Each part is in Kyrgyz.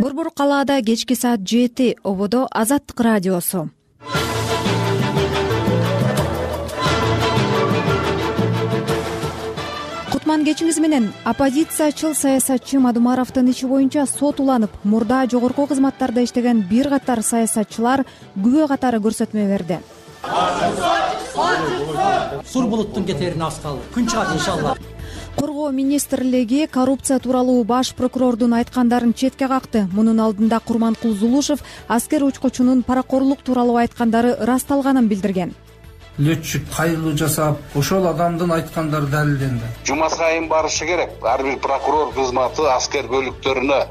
Борбор калаада кечки саат 7 ободо Азаттык радиосу. Кутман кечиңиз менен. Оппозициячыл саясатчы Мадумаровдун иши боюнча сот уланып, мурда жогорку кызматтарда иштеген бир катар саясатчылар күбө катары көрсөтмө берди. Сур булуттун кетерин аз калды. Күн чыгат иншалла. Коргоо министрлиги коррупция тууралуу баш прокурордун айткандарын четке какты. Мунун алдында Курманкул Зулушев аскер учкучунун паракорлук тууралуу айткандары ырасталганын билдирген. Летчик кайрылуу жасап, ошол адамдын айткандары далилденди. Жума сайын барышы керек. Ар бир прокурор кызматы аскер бөлүктөрүнө.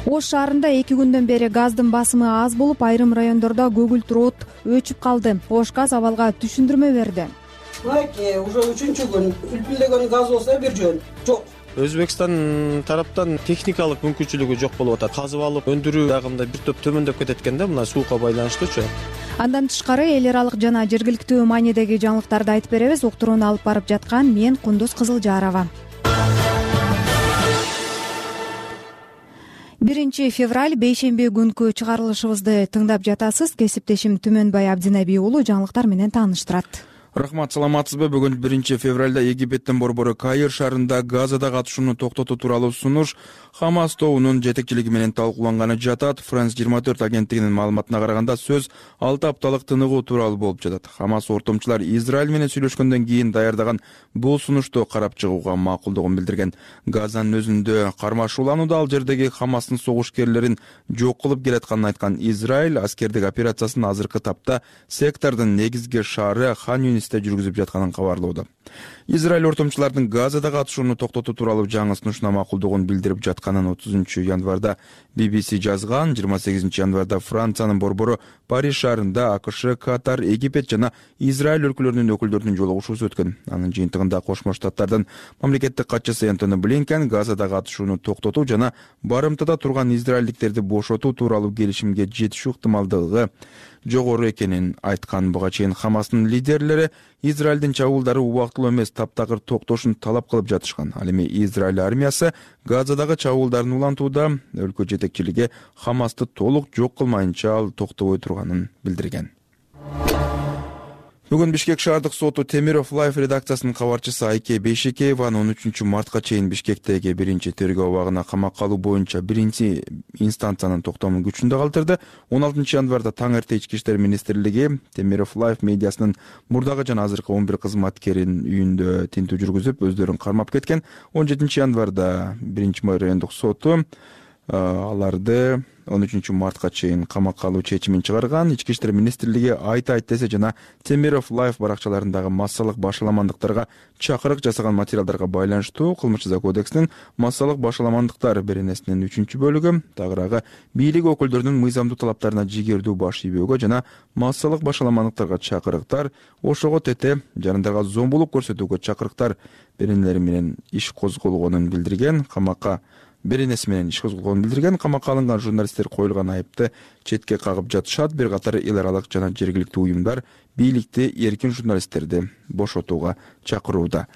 Ош шаарында 2 күндөн бери газдын басымы аз болуп, айрым райондордо көгүлтүр от өчүп калды. Ош газ абалга түшүндүрмө берди. Майке, уже 3-чү күн үлпүлдөгөн газ болсо бир жөн жок. Өзбекстан тараптан техникалык мүмкүнчүлүгү жок болуп атат. Казып алып өндүрүү дагында бир топ төмөндөп кетет экен да, мына суукка байланыштуучу. Андан тышкары эл аралык жана жергиликтүү маанидеги жаңылыктарды айтып беребиз. Уктурууну алып барып жаткан мен Кундуз Кызылжарова. 1 февраль бейшемби күнкү чыгарылышыбызды тыңдап жатасыз. Кесиптешим Түмөнбай Абдинаби уулу жаңылыктар менен тааныштырат. Рахмат, саламатсызбы? Бүгүн 1 февралда Египеттин борбору Каир шаарында Газада катышууну токтотуу тууралуу сунуш Хамас тобунун жетекчилиги менен талкууланганы жатат. France 24 агенттигинин маалыматына караганда сөз 6 апталык тыныгуу тууралуу болуп жатат. Хамас ортомчулар Израиль менен сүйлөшкөндөн кийин даярдаган бул сунушту карап чыгууга макулдугун билдирген. Газанын өзүндө кармашууланууда ал жердеги Хамастын согушкерлерин жок кылып келатканын айткан Израиль аскердик операциясын азыркы тапта сектордун негизги шаары Хан Юнисте жүргүзүп жатканын кабарлоодо. Израиль ортомчулардын Газада катышууну токтотуу тууралуу жаңы сунушуна макулдугун билдирип жатканын 30 январда BBC жазган. 28 январда Франциянын борбору Париж шаарында АКШ, Катар, Египет жана Израиль өлкөлөрүнүн өкүлдөрүнүн жолугушуусу өткөн. Анын жыйынтыгында Кошмо Штаттардын мамлекеттик катчысы Антони Блинкен Газада катышууну токтотуу жана барымтада турган израилдиктерди бошотуу тууралуу келишимге жетишүү ыктымалдыгы жогору экенин айткан. Буга чейин Хамастын лидерлери Израилдин чабуулдары убактылуу эмес таптакыр токтошун талап кылып жатышкан. Ал эми Израиль армиясы Газадагы чабуулдарын улантууда, өлкө жетекчилиги Хамасты толук жок кылмайынча ал токтобой турганын билдирген. Бүгүн Бишкек шаардык соту Темиров Лайф редакциясынын кабарчысы Айке Бейшекееваны 13 мартка чейин Бишкектеги 1-тергөө абагына камакка алуу боюнча 1-инстанциянын токтомун күчүндө калтырды. 16 январда таң эрте Ички иштер министрлиги Темиров Лайф медиасынын мурдагы жана азыркы 11 кызматкерин үйүндө тинтүү жүргүзүп, өздөрүн кармап кеткен. 17 январда 1 райондук соту аларды 13 мартка чейин камакка алуу чечимин чыгарган. Ички иштер министрлиги айт десе жана Темиров Лайф баракчаларындагы массалык башаламандыктарга чакырык жасаган материалдарга байланыштуу Кылмыш жаза кодексинин массалык башаламандыктар беренесинин 3-бөлүгү тагыраагы бийлик өкүлдөрүнүн мыйзамдуу талаптарына жигердүү баш ийбөөгө жана массалык башаламандыктарга чакырыктар, ошого тете жарандарга зомбулук көрсөтүүгө чакырыктар беренелери менен иш козголгонун билдирген. Камакка беренеси менен иш козголгонун билдирген. Камакка алынган журналисттер коюлган айыпты четке кагып жатышат. Бир катар эл аралык жана жергиликтүү уюмдар бийликти эркин журналисттерди бошотууга чакырууда.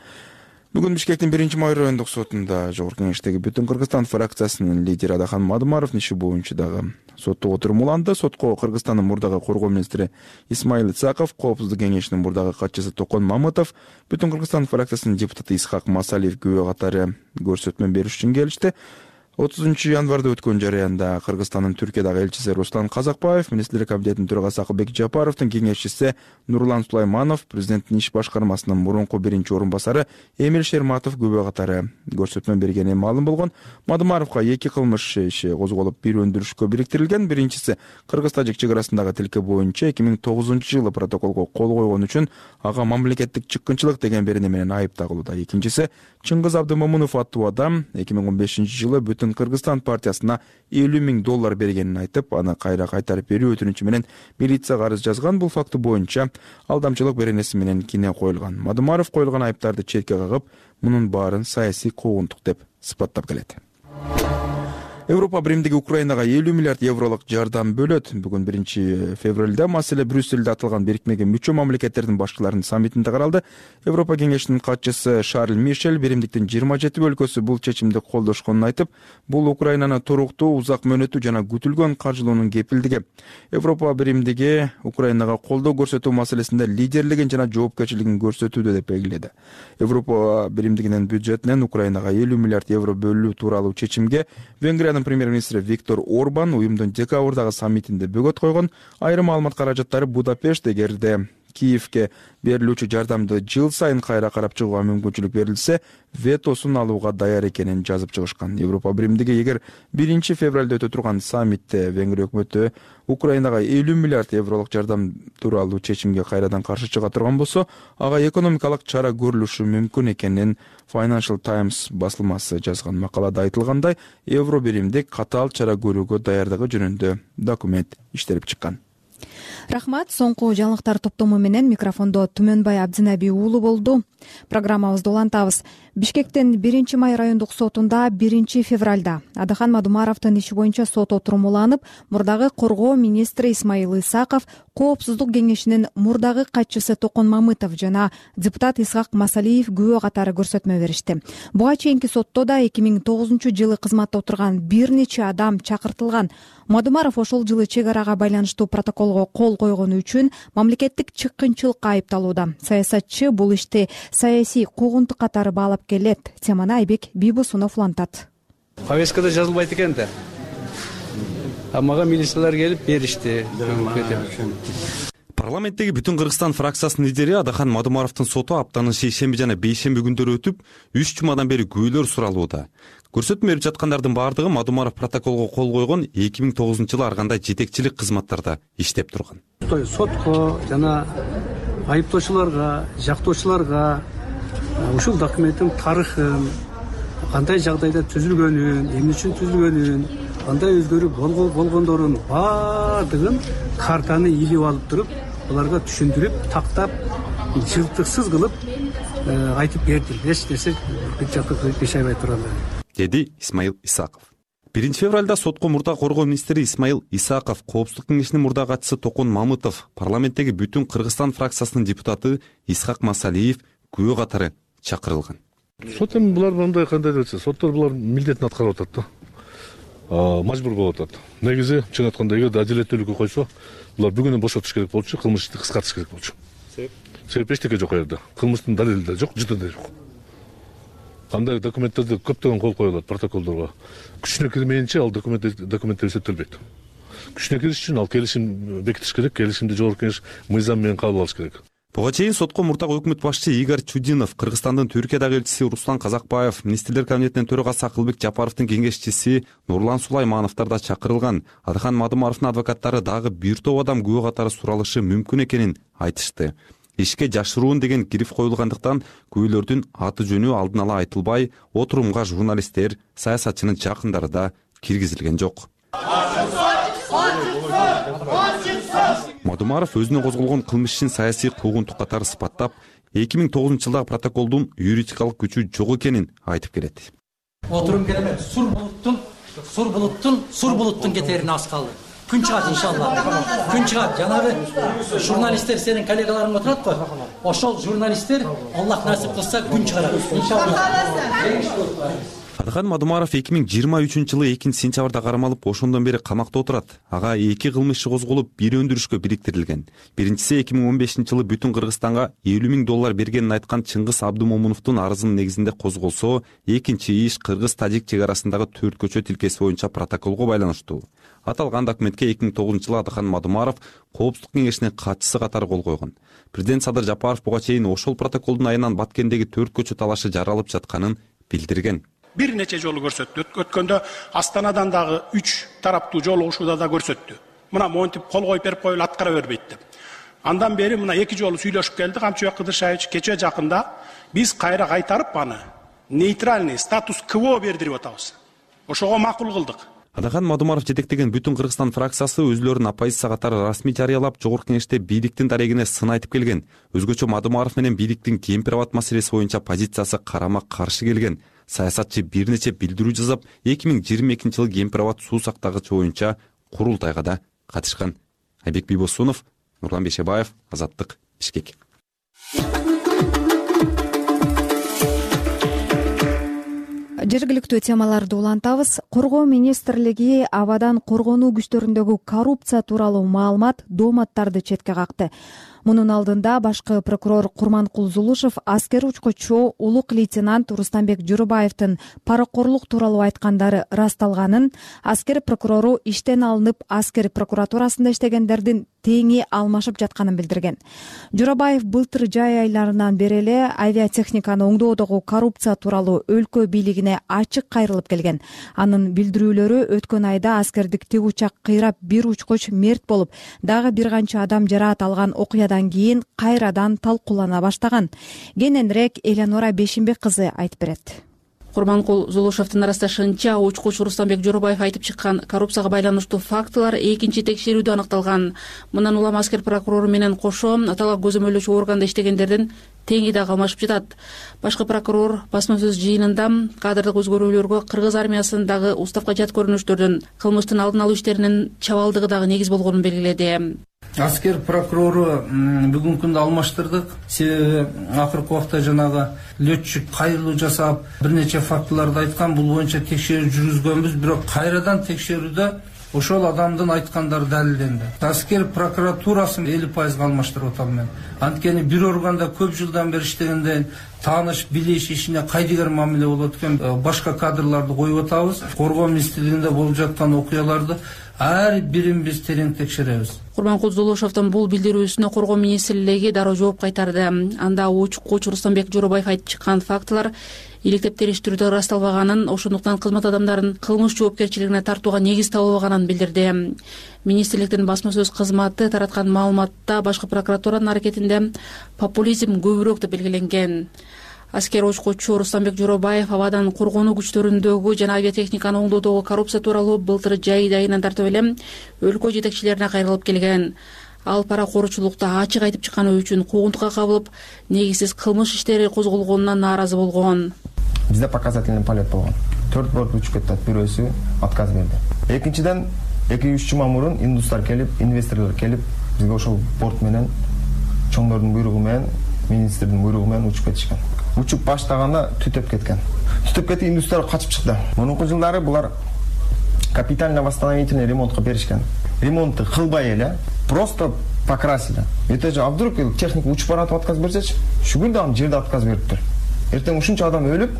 Бүгүн Бишкектин 1-май райондук сотунда Жогорку Кеңештеги Бүтүн Кыргызстан фракциясынын лидери Адахан Мадумаровдун иши боюнча дагы соттук отурум уланды. Сотко Кыргызстандын мурдагы коргоо министри Исмаил Исаков, Коопсуздук кеңешинин мурдагы катчысы Токон Мамытов, Бүтүн Кыргызстан фракциясынын депутаты Исхак Масалиев күбө катары көрсөтмө бериш үчүн келишти. 30 январда өткөн жарыянда Кыргызстандын Түркиядагы элчиси Руслан Казакбаев, Министрлер кабинетинин төрагасы Акылбек Жапаровдун кеңешчиси Нурлан Сулайманов, президенттин иш башкармасынын мурунку 1-орун басары Эмил Шерматов күбө катары көрсөтмө бергени маалым болгон. Мадумаровго 2 кылмыш иши козголуп, бир өндүрүшкө бириктирилген. Биринчиси Кыргыз-Тажик чек арасындагы тилке боюнча 2009-жылы протоколго кол койгон үчүн ага мамлекеттик чыккынчылык деген берене менен айып тагылууда. Экинчиси Чыңгыз Абдымомунов аттуу адам 2015-жылы Бүтүн Кыргызстан партиясына $50,000 бергенин айтып, аны кайра кайтарып берүү өтүнүчү менен милицияга арыз жазган. Бул факты боюнча алдамчылык беренеси менен кине коюлган. Мадумаров коюлган айыптарды четке кагып, мунун баарын саясий куугунтук деп сыпаттап келет. Европа биримдиги Украинага 50 миллиард евролук жардам бөлөт. Бүгүн 1-февралда маселе Брюсселде аталган бирикмеге мүчө мамлекеттердин башчыларынын саммитинде каралды. Европа кеңешинин катчысы Шарль Мишель биримдиктин 27 өлкөсү бул чечимди колдошконун айтып, бул Украинаны туруктуу, узак мөөнөттүү жана күтүлгөн каржылоонун кепилдиги. Европа биримдиги Украинага колдоо көрсөтүү маселесинде лидерлигин жана жоопкерчилигин көрсөтүүдө деп белгиледи. Европа биримдигинин бюджетинен Украинага 50 миллиард евро бөлүү тууралуу чечимге Венгриянын премьер-министри Виктор Орбан уюмдун декабрдагы саммитинде бөгөт койгон. Айрым маалымат каражаттары Будапешт эгерде Киевке берилүүчү жардамды жыл сайын кайра карап чыгууга мүмкүнчүлүк берилсе, ветосун алууга даяр экенин жазып чыгышкан. Европа биримдиги эгер 1-февралда өтө турган саммитте Венгрия өкмөтү Украинага 50 миллиард евролук жардам тууралуу чечимге кайрадан каршы чыга турган болсо, ага экономикалык чара көрүлүшү мүмкүн экенин Financial Times басылмасы жазган. Макалада айтылгандай, евро биримдик катаал чара көрүүгө даярдыгы жөнүндө документ иштелип чыккан. Рахмат. Соңку жаңылыктар топтому менен микрофондо Түмөнбай Абдинаби уулу болду. Программабызды улантабыз. Бишкектин 1-май райондук сотунда 1-февралда Адахан Мадумаровдун иши боюнча сот отуруму уланып, мурдагы коргоо министри Исмаил Исаков, Коопсуздук кеңешинин мурдагы катчысы Токон Мамытов жана депутат Исхак Масалиев күбө катары көрсөтмө беришти. Буга чейинки сотто да 2009-жылы кызматта отурган бир нече адам чакыртылган. Мадумаров ошол жылы чек арага байланыштуу протоколго кол койгону үчүн мамлекеттик чыккынчылыкка айыпталууда. Саясатчы бул ишти саясий куугунтук катары баалап келет. Теманы Айбек Бийбосунов улантат. Повесткада жазылбайт экен да. Мага милициялар келип беришти. Парламенттеги Бүтүн Кыргызстан фракциясынын лидери Адахан Мадумаровдун соту аптанын шейшемби жана бейшемби күндөрү өтүп, 3 жумадан бери күбөлөр суралууда. Көрсөтмө берип жаткандардын баардыгы Мадумаров протоколго кол койгон 2009-жылы ар кандай жетекчилик кызматтарда иштеп турган. Сотко жана айыптоочуларга, жактоочуларга ушул документтин тарыхын, кандай жагдайда түзүлгөнүн, эмне үчүн түзүлгөнүн, кандай өзгөрүү болгондорун баардыгын картаны илип алып туруп, аларга түшүндүрүп, тактап, жыртыксыз кылып айтып берди. Эч нерсе бешайбай турган, деди Исмаил Исаков. 1-февралда сотко мурда коргоо министри Исмаил Исаков, Коопсуздук кеңешинин мурда катчысы Токон Мамытов, парламенттеги Бүтүн Кыргызстан фракциясынын депутаты Исхак Масалиев күбө катары чакырылган. Сот эми булар мындай кандай десе, соттор булар милдетин аткарып атат да. Мажбур болуп атат. Негизи чын айтканда эгер адилеттүүлүккө койсо, булар бүгүнү бошотуш керек болчу, кылмышты кыскартыш керек болчу. Себеп эчтеке жок жерде. Кылмыштын далили да жок, жыты да жок. Кандай документтерди көптөгөн кол коюлат протоколдорго. Күчүнө кирмейинче ал документтер эсептелбейт. Күчүнө кириш үчүн ал келишим бекитиш керек, келишимди жогорку кеңеш мыйзам менен кабыл алыш керек. Буга чейин сотко мурдагы өкмөт башчысы Игорь Чудинов, Кыргызстандын Түркиядагы элчиси Руслан Казакбаев, министрлер кабинетинин төрагасы Акылбек Жапаровдун кеңешчиси Нурлан Сулаймановдор да чакырылган. Адахан Мадумаровдун адвокаттары дагы бир топ адам күбө катары суралышы мүмкүн экенин айтышты. Ишке жашыруун деген кирип коюлгандыктан күбөлөрдүн аты жөнү алдын ала айтылбай, отурумга журналисттер, саясатчынын жакындары да киргизилген жок. Мадумаров өзүнө козголгон кылмыш ишин саясий куугунтук катары сыпаттап, 2009-жылдагы протоколдун юридикалык күчү жок экенин айтып келет. Отурум келемек, сур булуттун кетерине аз калды. Күн чыгат иншалла. Күн чыгат. Жанагы журналисттер, сенин коллегаларың отурат го. Ошол журналисттер Аллах насип кылса күн чыгарат. Иншалла. Адахан Мадумаров 2023-жылы 2-сентябрда карамалып, ошондон бери камакта отурат. Ага 2 кылмыш иши козголуп, бири өндүрүшкө бириктирилген. Биринчиси 2015-жылы Бүтүн Кыргызстанга $50 000 бергенин айткан Чыңгыз Абдумомуновдун арызынын негизинде козголсо, экинчи иш Кыргыз-Тажик чек арасындагы 4 көчө тилкеси боюнча протоколго байланыштуу. Аталган документке 2009-жылы Адахан Мадумаров Коопсуздук кеңешинин катчысы катары кол койгон. Президент Садыр Жапаров буга чейин ошол протоколдун айынан Баткендеги 4 көчө талашы жаралып жатканын билдирген. Бир нече жолу көрсөттү. Өткөндө Астанадан дагы 3 тараптуу жолугушууда да көрсөттү. Мына монтип кол коюп берип коюлуп аткара бербейт деп. Андан бери мына 2 жолу сүйлөшүп келди. Камчыбек Кыдыршаевич кече жакында биз кайра кайтарып аны нейтральный статус КВО бердирип атабыз. Ошого макул кылдык. Адахан Мадумаров жетектеген Бүтүн Кыргызстан фракциясы өзүлөрүнүн оппозиция катары расмий жарыялап, жогорку кеңеште бийликтин дарегине сын айтып келген. Өзгөчө Мадумаров менен бийликтин кемпир абад маселеси боюнча позициясы карама каршы келген. саясатчы бир нече билдирүү жасап, 2022-жылы кемпир абад суу сактагычы боюнча курултайга да катышкан. Айбек Бийбосунов, Нурлан Бейшебаев, Азаттык, Бишкек. Жергиликтүү темаларды улантабыз. Коргоо министрлиги абадан коргонуу күчтөрүндөгү коррупция тууралуу маалымат, дооматтарды четке какты. Мунун алдында башкы прокурор Курманкул Зулушев аскер учкучу улук лейтенант Рустамбек Журубаевдин паракорлук тууралуу айткандары ырасталганын, аскер прокурору иштен алынып, аскер прокуратурасында иштегендердин теңи алмашып жатканын билдирген. Журабаев былтыр жай айларынан бери эле авиатехниканы оңдоодогу коррупция тууралуу өлкө бийлигине ачык кайрылып келген. Анын билдирүүлөрү өткөн айда аскердик тик учак кыйрап бир учкуч мерт болуп, дагы бир канча адам жараат алган окуядан кийин кайрадан талкуулана баштаган. Кененирээк Элеонора Бейшимбек кызы айтып берет. Курманкул Зулушевдин ырасташынча, учкуч Рустамбек Журубаев айтып чыккан коррупцияга байланыштуу фактылар экинчи текшерүүдө аныкталган. Мындан улам аскер прокурору менен кошо аталган көзөмөлдөөчү органда иштегендердин теңи да калмашып жатат. Башкы прокурор басма сөз жыйынында кадрдык өзгөрүүлөргө кыргыз армиясындагы уставка жат көрүнүштөрдүн кылмыштын алдын алуу иштеринин чабалдыгы дагы негиз болгонун белгиледи. Аскер прокурору бүгүнкү күндө алмаштырдык. Себеби акыркы убакта жанагы летчик кайрылуу жасап, бир нече фактыларды айткан, бул боюнча текшерүү жүргүзгөнбүз, бирок кайрадан текшерүүдө ошол адамдын айткандары далилденди. Аскер прокуратурасын 50% алмаштырып атам мен. Анткени бир органда көп жылдан бери иштегенден тааныш, билиш ишине кайдыгер мамиле болот экен. Башка кадрларды коюп атабыз. Коргоо министрлигинде болуп жаткан окуяларды ар бирин биз терең текшеребиз. Курманкул Зулушевдин бул билдирүүсүнө Коргоо министрлиги дароо жооп кайтарды. Анда учкуч Рустамбек Журубаев айтып чыккан фактылар иликтеп териштирүүдө ырасталбаганын, ошондуктан кызмат адамдарын кылмыш жоопкерчилигине тартууга негиз табылбаганын билдирди. Министрликтин басма сөз кызматы тараткан маалыматта башкы прокуратуранын аракетинде популизм көбүрөөк деп белгиленген. Аскер учкучу Рустамбек Журубаев абадан коргонуу күчтөрүндөгү жана авиатехниканы оңдоодогу коррупция тууралуу былтыр жай айынан тартып эле өлкө жетекчилерине кайрылып келген. Ал паракорчулукта ачык айтып чыкканы үчүн куугунтукка кабылып, негизсиз кылмыш иштери козголгонуна нааразы болгон. Бизде показательный полет болгон. 4 борт учуп кетти, бирөөсү отказ берди. Экинчиден 2-3 жума мурун индустар келип, инвесторлор келип, бизге ошол борт менен чоңдордун буйругу менен, министрдин буйругу менен учуп кетишкен. Учуп баштаганда түтөп кеткен. Түтөп кетип индустар качып чыкты. Мурунку жылдары булар капитально-восстановительный ремонтко беришкен. Ремонтты кылбай эле, просто покрасили. Эртең а вдруг техника учуп баратып отказ берсечи, шүгүр дагы жерде отказ бериптир. Эртең ушунча адам өлүп,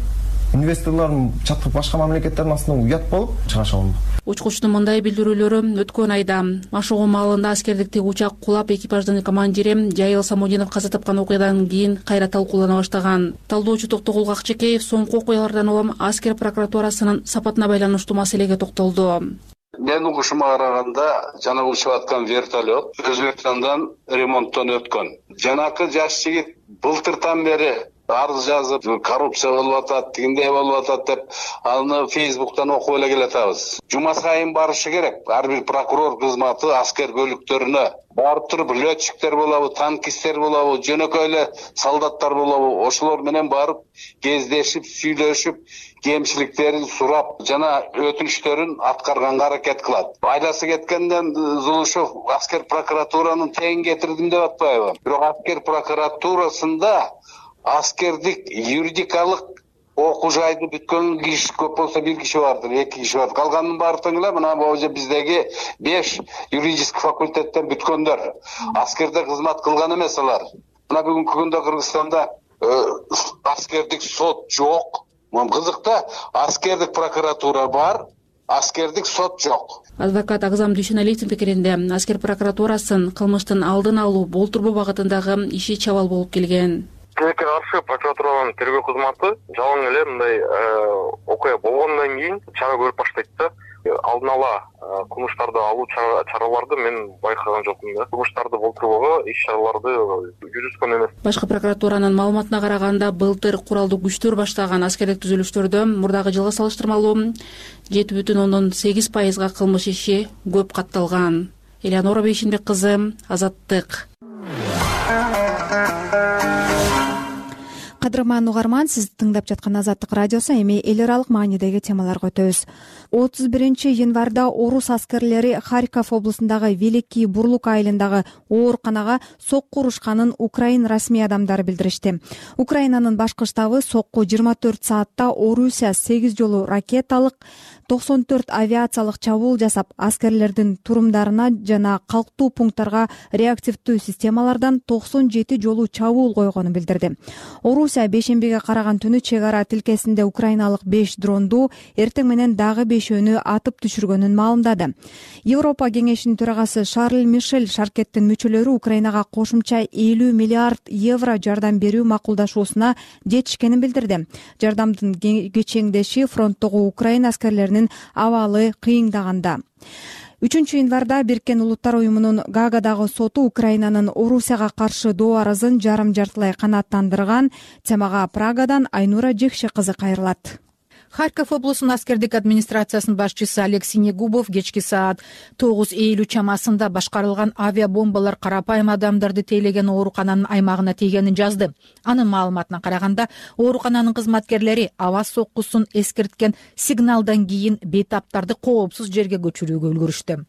инвесторлордун чаткы башка мамлекеттердин астына уят болуп чыгаша алынды. Учкучтун мындай билдирүүлөрү өткөн айда Машогу маалында аскердик тик учак кулап, экипаждын командири Жайыл Самудинов каза тапкан окуядан кийин кайра талкуулана баштаган. Талдоочу Токтогул Акчекеев соңку окуялардан улам аскер прокуратурасынын сапатына байланыштуу маселеге токтолду. Мен угушума караганда жана учуп аткан вертолет Өзбекстандан ремонттон өткөн. Жанакы жаш жигит былтыртан бери арыз жазып, коррупция болуп атат, тигиндей болуп атат деп, аны Фейсбуктан окуп эле келатабыз. Жума сайын барышы керек. Ар бир прокурор кызматы аскер бөлүктөрүнө барып туруп, летчиктер болобу, танкисттер болобу, жөнөкөй эле солдаттар болобу, ошолор менен барып кездешип, сүйлөшүп, кемчиликтерин сурап, жана өтүнүштөрүн аткарганга аракет кылат. Айласы кеткенден Зулушев аскер прокуратуранын тең кетирдим деп атпайбы? Бирок аскер прокуратурасында аскердик юридикалык окуу жайды бүткөн киши көп болсо бир киши бардыр, 2 киши бар. Калганын баары тең эле мына божо биздеги 5 юридический факультеттен бүткөндөр. Аскерде кызмат кылган эмес алар. Мына бүгүнкү күндө Кыргызстанда аскердик сот жок. Кызык да, аскердик прокуратура бар, аскердик сот жок. Адвокат Агзам Дүйшөналиевдин пикиринде аскер прокуратурасын кылмыштын алдын алуу, болтурбоо багытындагы иши чабал болуп келген. Тилекке каршы прокуратуранын тергөө кызматы жалаң эле мындай окуя болгондон кийин чара көрүп баштайт да. Алдын ала кылмыштарды алуу чараларды мен байкаган жокмун да. Кылмыштарды болтурбоого иш чараларды жүргүзгөн эмес. Башкы прокуратуранын маалыматына караганда, былтыр куралдуу күчтөр баштаган аскерлик түзүлүштөрдө мурдагы жылга салыштырмалуу 7,8%га кылмыш иши көп катталган. Элеонора Бейшимбек кызы, Азаттык. Кадырман угарман, сиз тыңдап жаткан Азаттык радиосу. Эми эл аралык маанидеги темаларга өтөбүз. 31 январда орус аскерлери Харьков облусундагы Великий Бурлук айылындагы ооруканага сокку урушканын Украин расмий адамдары билдиришти. Украинанын башкы штабы сокку 24 саатта Орусия 8 жолу ракеталык, 94 авиациялык чабуул жасап, аскерлердин турумдарына жана калктуу пункттарга реактивдүү системалардан 97 жолу чабуул койгонун билдирди. Орусия бейшембиге караган түнү чек ара тилкесинде украиналык 5 дронду, эртең менен дагы 5-өнү атып түшүргөнүн маалымдады. Европа кеңешинин төрагасы Шарль Мишель шаркеттин мүчөлөрү Украинага кошумча 50 миллиард евро жардам берүү макулдашуусуна жетишкенин билдирди. Жардамдын кечеңдеши фронттогу Украина аскерлеринин абалы кыйындаганда. 3 январда Бириккен Улуттар уюмунун Гаагадагы соту Украинанын Орусияга каршы доо арызын жарым-жартылай канааттандырган. Темага Прагадан Айнура Жекше кызы кайрылат. Харьков облусунун аскердик администрациясынын башчысы Олег Синегубов кечки саат 9:50 чамасында башкарылган авиабомбалар карапайым адамдарды тейлеген оорукананын аймагына тийгенин жазды. Анын маалыматына караганда, оорукананын кызматкерлери аба соккусун эскерткен сигналдан кийин бейтаптарды коопсуз жерге көчүрүүгө үлгүрүштү.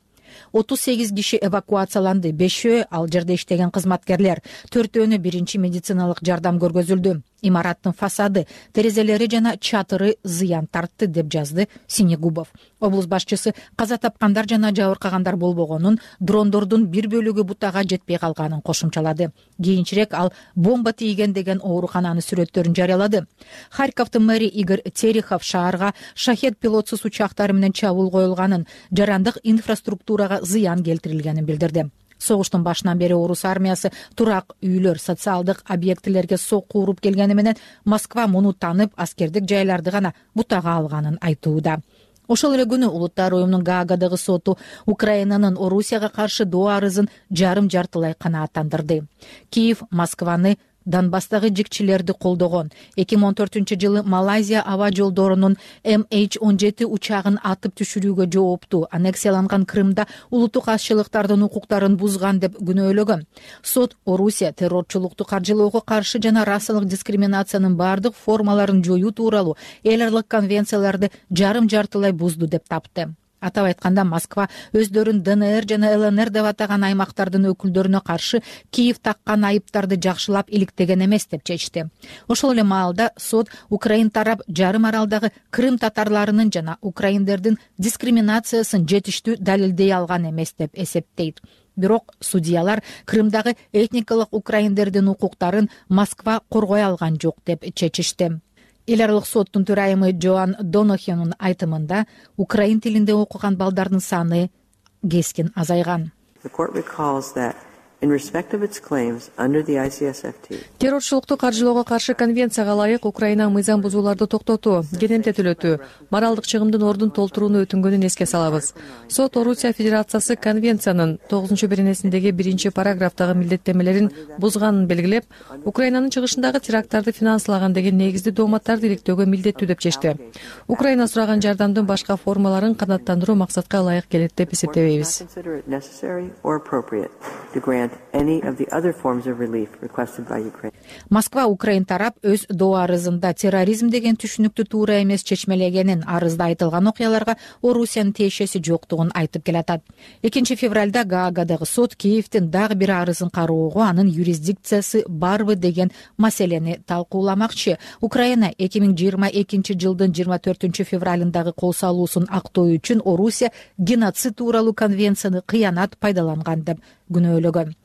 38 киши эвакуацияланды. 5-өө ал жерде иштеген кызматкерлер, 4-өнү биринчи медициналык жардам көргөзүлдү. Имараттын фасады, терезелери жана чатыры зыян тартты, деп жазды Синегубов. Облус башчысы каза тапкандар жана жабыркагандар болбогонун, дрондордун бир бөлүгү бутага жетпей калганын кошумчалады. Кийинчерээк ал бомба тийген деген оорукананын сүрөттөрүн жарыялады. Харьковдун мэри Игорь Терехов шаарга шахед пилотсуз учактары менен чабуул коюлганын, жарандык инфраструктурага зыян келтирилгенин билдирди. Согуштун башынан бери орус армиясы турак үйлөр, социалдык объектилерге сокку уруп келгени менен Москва муну танып, аскердик жайларды гана бутага алганын айтууда. Ошол эле күнү Улуттар уюмунун Гаагадагы соту Украинанын Орусияга каршы доо арызын жарым-жартылай канааттандырды. Киев Москваны Донбасстагы жикчилерди колдогон. 2014-жылы Малайзия аба жолдорунун MH17 учагын атып түшүрүүгө жооптуу, аннексияланган Крымда улуттук азчылыктардын укуктарын бузган деп күнөөлөгөн. Сот Орусия террорчулукту каржылоого каршы жана расалык дискриминациянын бардык формаларын жоюу тууралуу эл аралык конвенцияларды жарым-жартылай бузду деп тапты. Атап айтканда, Москва өздөрүн ДНР жана ЛНР деп атаган аймактардын өкүлдөрүнө каршы Киев таккан айыптарды жакшылап иликтеген эмес деп чечти. Ошол эле маалда сот Украин тарап жарым аралдагы Крым татарларынын жана украиндердин дискриминациясын жетиштүү далилдей алган эмес деп эсептейт. Бирок судьялар Крымдагы этникалык украиндердин укуктарын Москва коргой алган жок деп чечишти. Эл аралык соттун төрайымы Джоан Донохенун айтымында, украин тилинде окуган балдардын саны кескин азайган. Террорчулукту каржылоого каршы конвенцияга ылайык Украина мыйзам бузууларды токтотуу, кенемтетүүлөтүү, моралдык чыгымдын ордун толтурууну өтүнгөнүн эске салабыз. Сот Орусия Федерациясы конвенциянын 9-беренесиндеги 1-параграфтагы милдеттемелерин бузганын белгилеп, Украинанын чыгышындагы теракттарды финансылаган деген негизди дооматтарды иликтөөгө милдеттүү деп чечти. Украина сураган жардамдын башка формаларын канааттандыруу максатка ылайык келет деп эсептебейбиз. Москва Украин тарап өз доо арызында терроризм деген түшүнүктү туура эмес чечмелегенин, арызда айтылган окуяларга Орусиянын тиешеси жоктугун айтып келатат. 2 февралда Гаагадагы сот Киевдин дагы бир арызын кароого, анын юрисдикциясы барбы деген маселени талкууламакчы. Украина 2022-жылдын 24 февралындагы кол салуусун актоо үчүн Орусия геноцид тууралуу конвенцияны кыянат пайдаланган деп күнөөлөгөн.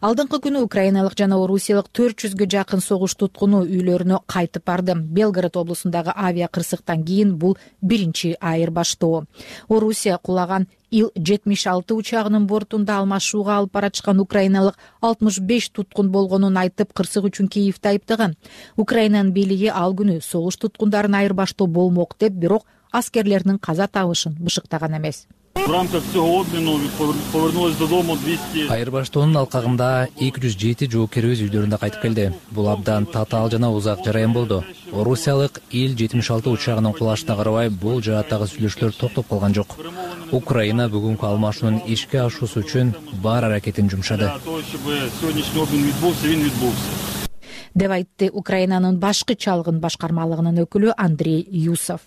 Алдыңкы күнү украиналык жана орусиялык 400гө жакын согуш туткуну үйлөрүнө кайтып барды. Белгород облусундагы авиа кырсыктан кийин бул биринчи айырбаштоо. Орусия кулаган Ил-76 учагынын бортунда алмашууга алып барачкан украиналык 65 туткун болгонун айтып, кырсык үчүн Киевди айыптаган. Украинанын бийлиги ал күнү согуш туткундарын айырбаштоо болмок деп, бирок аскерлердин каза табышын бышыктаган эмес. В рамках цього обміну повернулось додому 200. Айырбаштоонун алкагында 207 жоокерибиз үйлөрүндө кайтып келди. Бул абдан татаал жана узак жараян болду. Орусиялык Ил-76 учагынын кулашына карабай бул жааттагы сүйлөшүүлөр токтоп калган жок. Украина бүгүнкү алмашуунун ишке ашуусу үчүн бар аракетин жумшады. деп айтты Украинанын башкы чалгын башкармалыгынын өкүлү Андрей Юсов.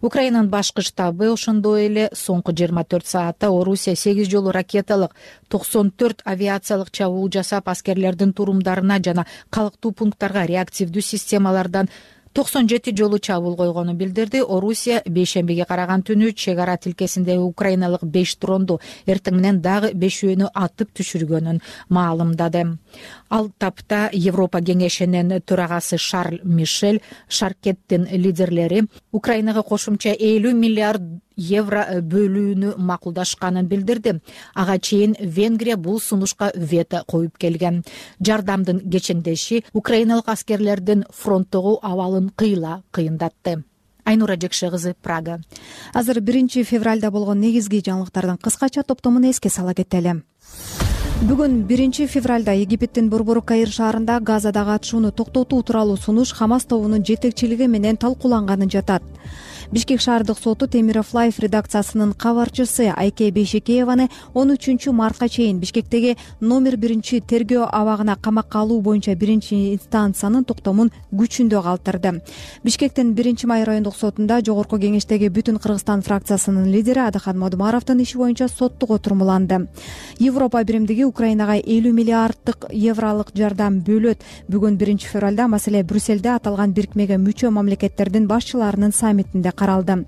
Украинанын башкы штабы ошондой эле соңку 24 саатта Орусия 8 жолу ракеталык 94 авиациялык чабуул жасап, аскерлердин турумдарына жана калктуу пункттарга реактивдүү системалардан 97 жолу чабуул койгонун билдирди. Орусия бейшембиге караган түнү чек ара тилкесиндеги украиналык 5 дронду, эртең менен дагы 5-өөнү атып түшүргөнүн маалымдады. Ал тапта Европа кеңешинин төрагасы Шарль Мишель, Шаркеттин лидерлери Украинага кошумча 50 миллиард евро бөлүүнү макулдашканын билдирди. Ага чейин Венгрия бул сунушка вето коюп келген. Жардамдын кечеңдеши украиналык аскерлердин фронттогу абалын кыйындатты. Айнура Жекше кызы, Прага. Азыр 1 февралда болгон негизги жаңылыктардын кыскача топтомун эске сала кетели. Бүгүн 1 февралда Египеттин борбору Каир шаарында Газадагы атышууну токтотуу тууралуу сунуш Хамас тобунун жетекчилиги менен талкууланганы жатат. Бишкек шаардык соту Темиров Лайф редакциясынын кабарчысы Айке Бейшекееваны 13 мартка чейин Бишкектеги номер 1 тергөө абагына камакка алуу боюнча 1 инстанциянын токтомун күчүндө калтырды. Бишкектин 1 май райондук сотунда жогорку кеңештеги Бүтүн Кыргызстан фракциясынын лидери Адахан Модумаровдун иши боюнча соттук отурумуланды. Европа биримдиги Украинага 50 миллиарддык евролук жардам бөлөт. Бүгүн 1 февралда маселе Брюссельде аталган бирикмеге мүчө мамлекеттердин башчыларынын саммитинде каралды.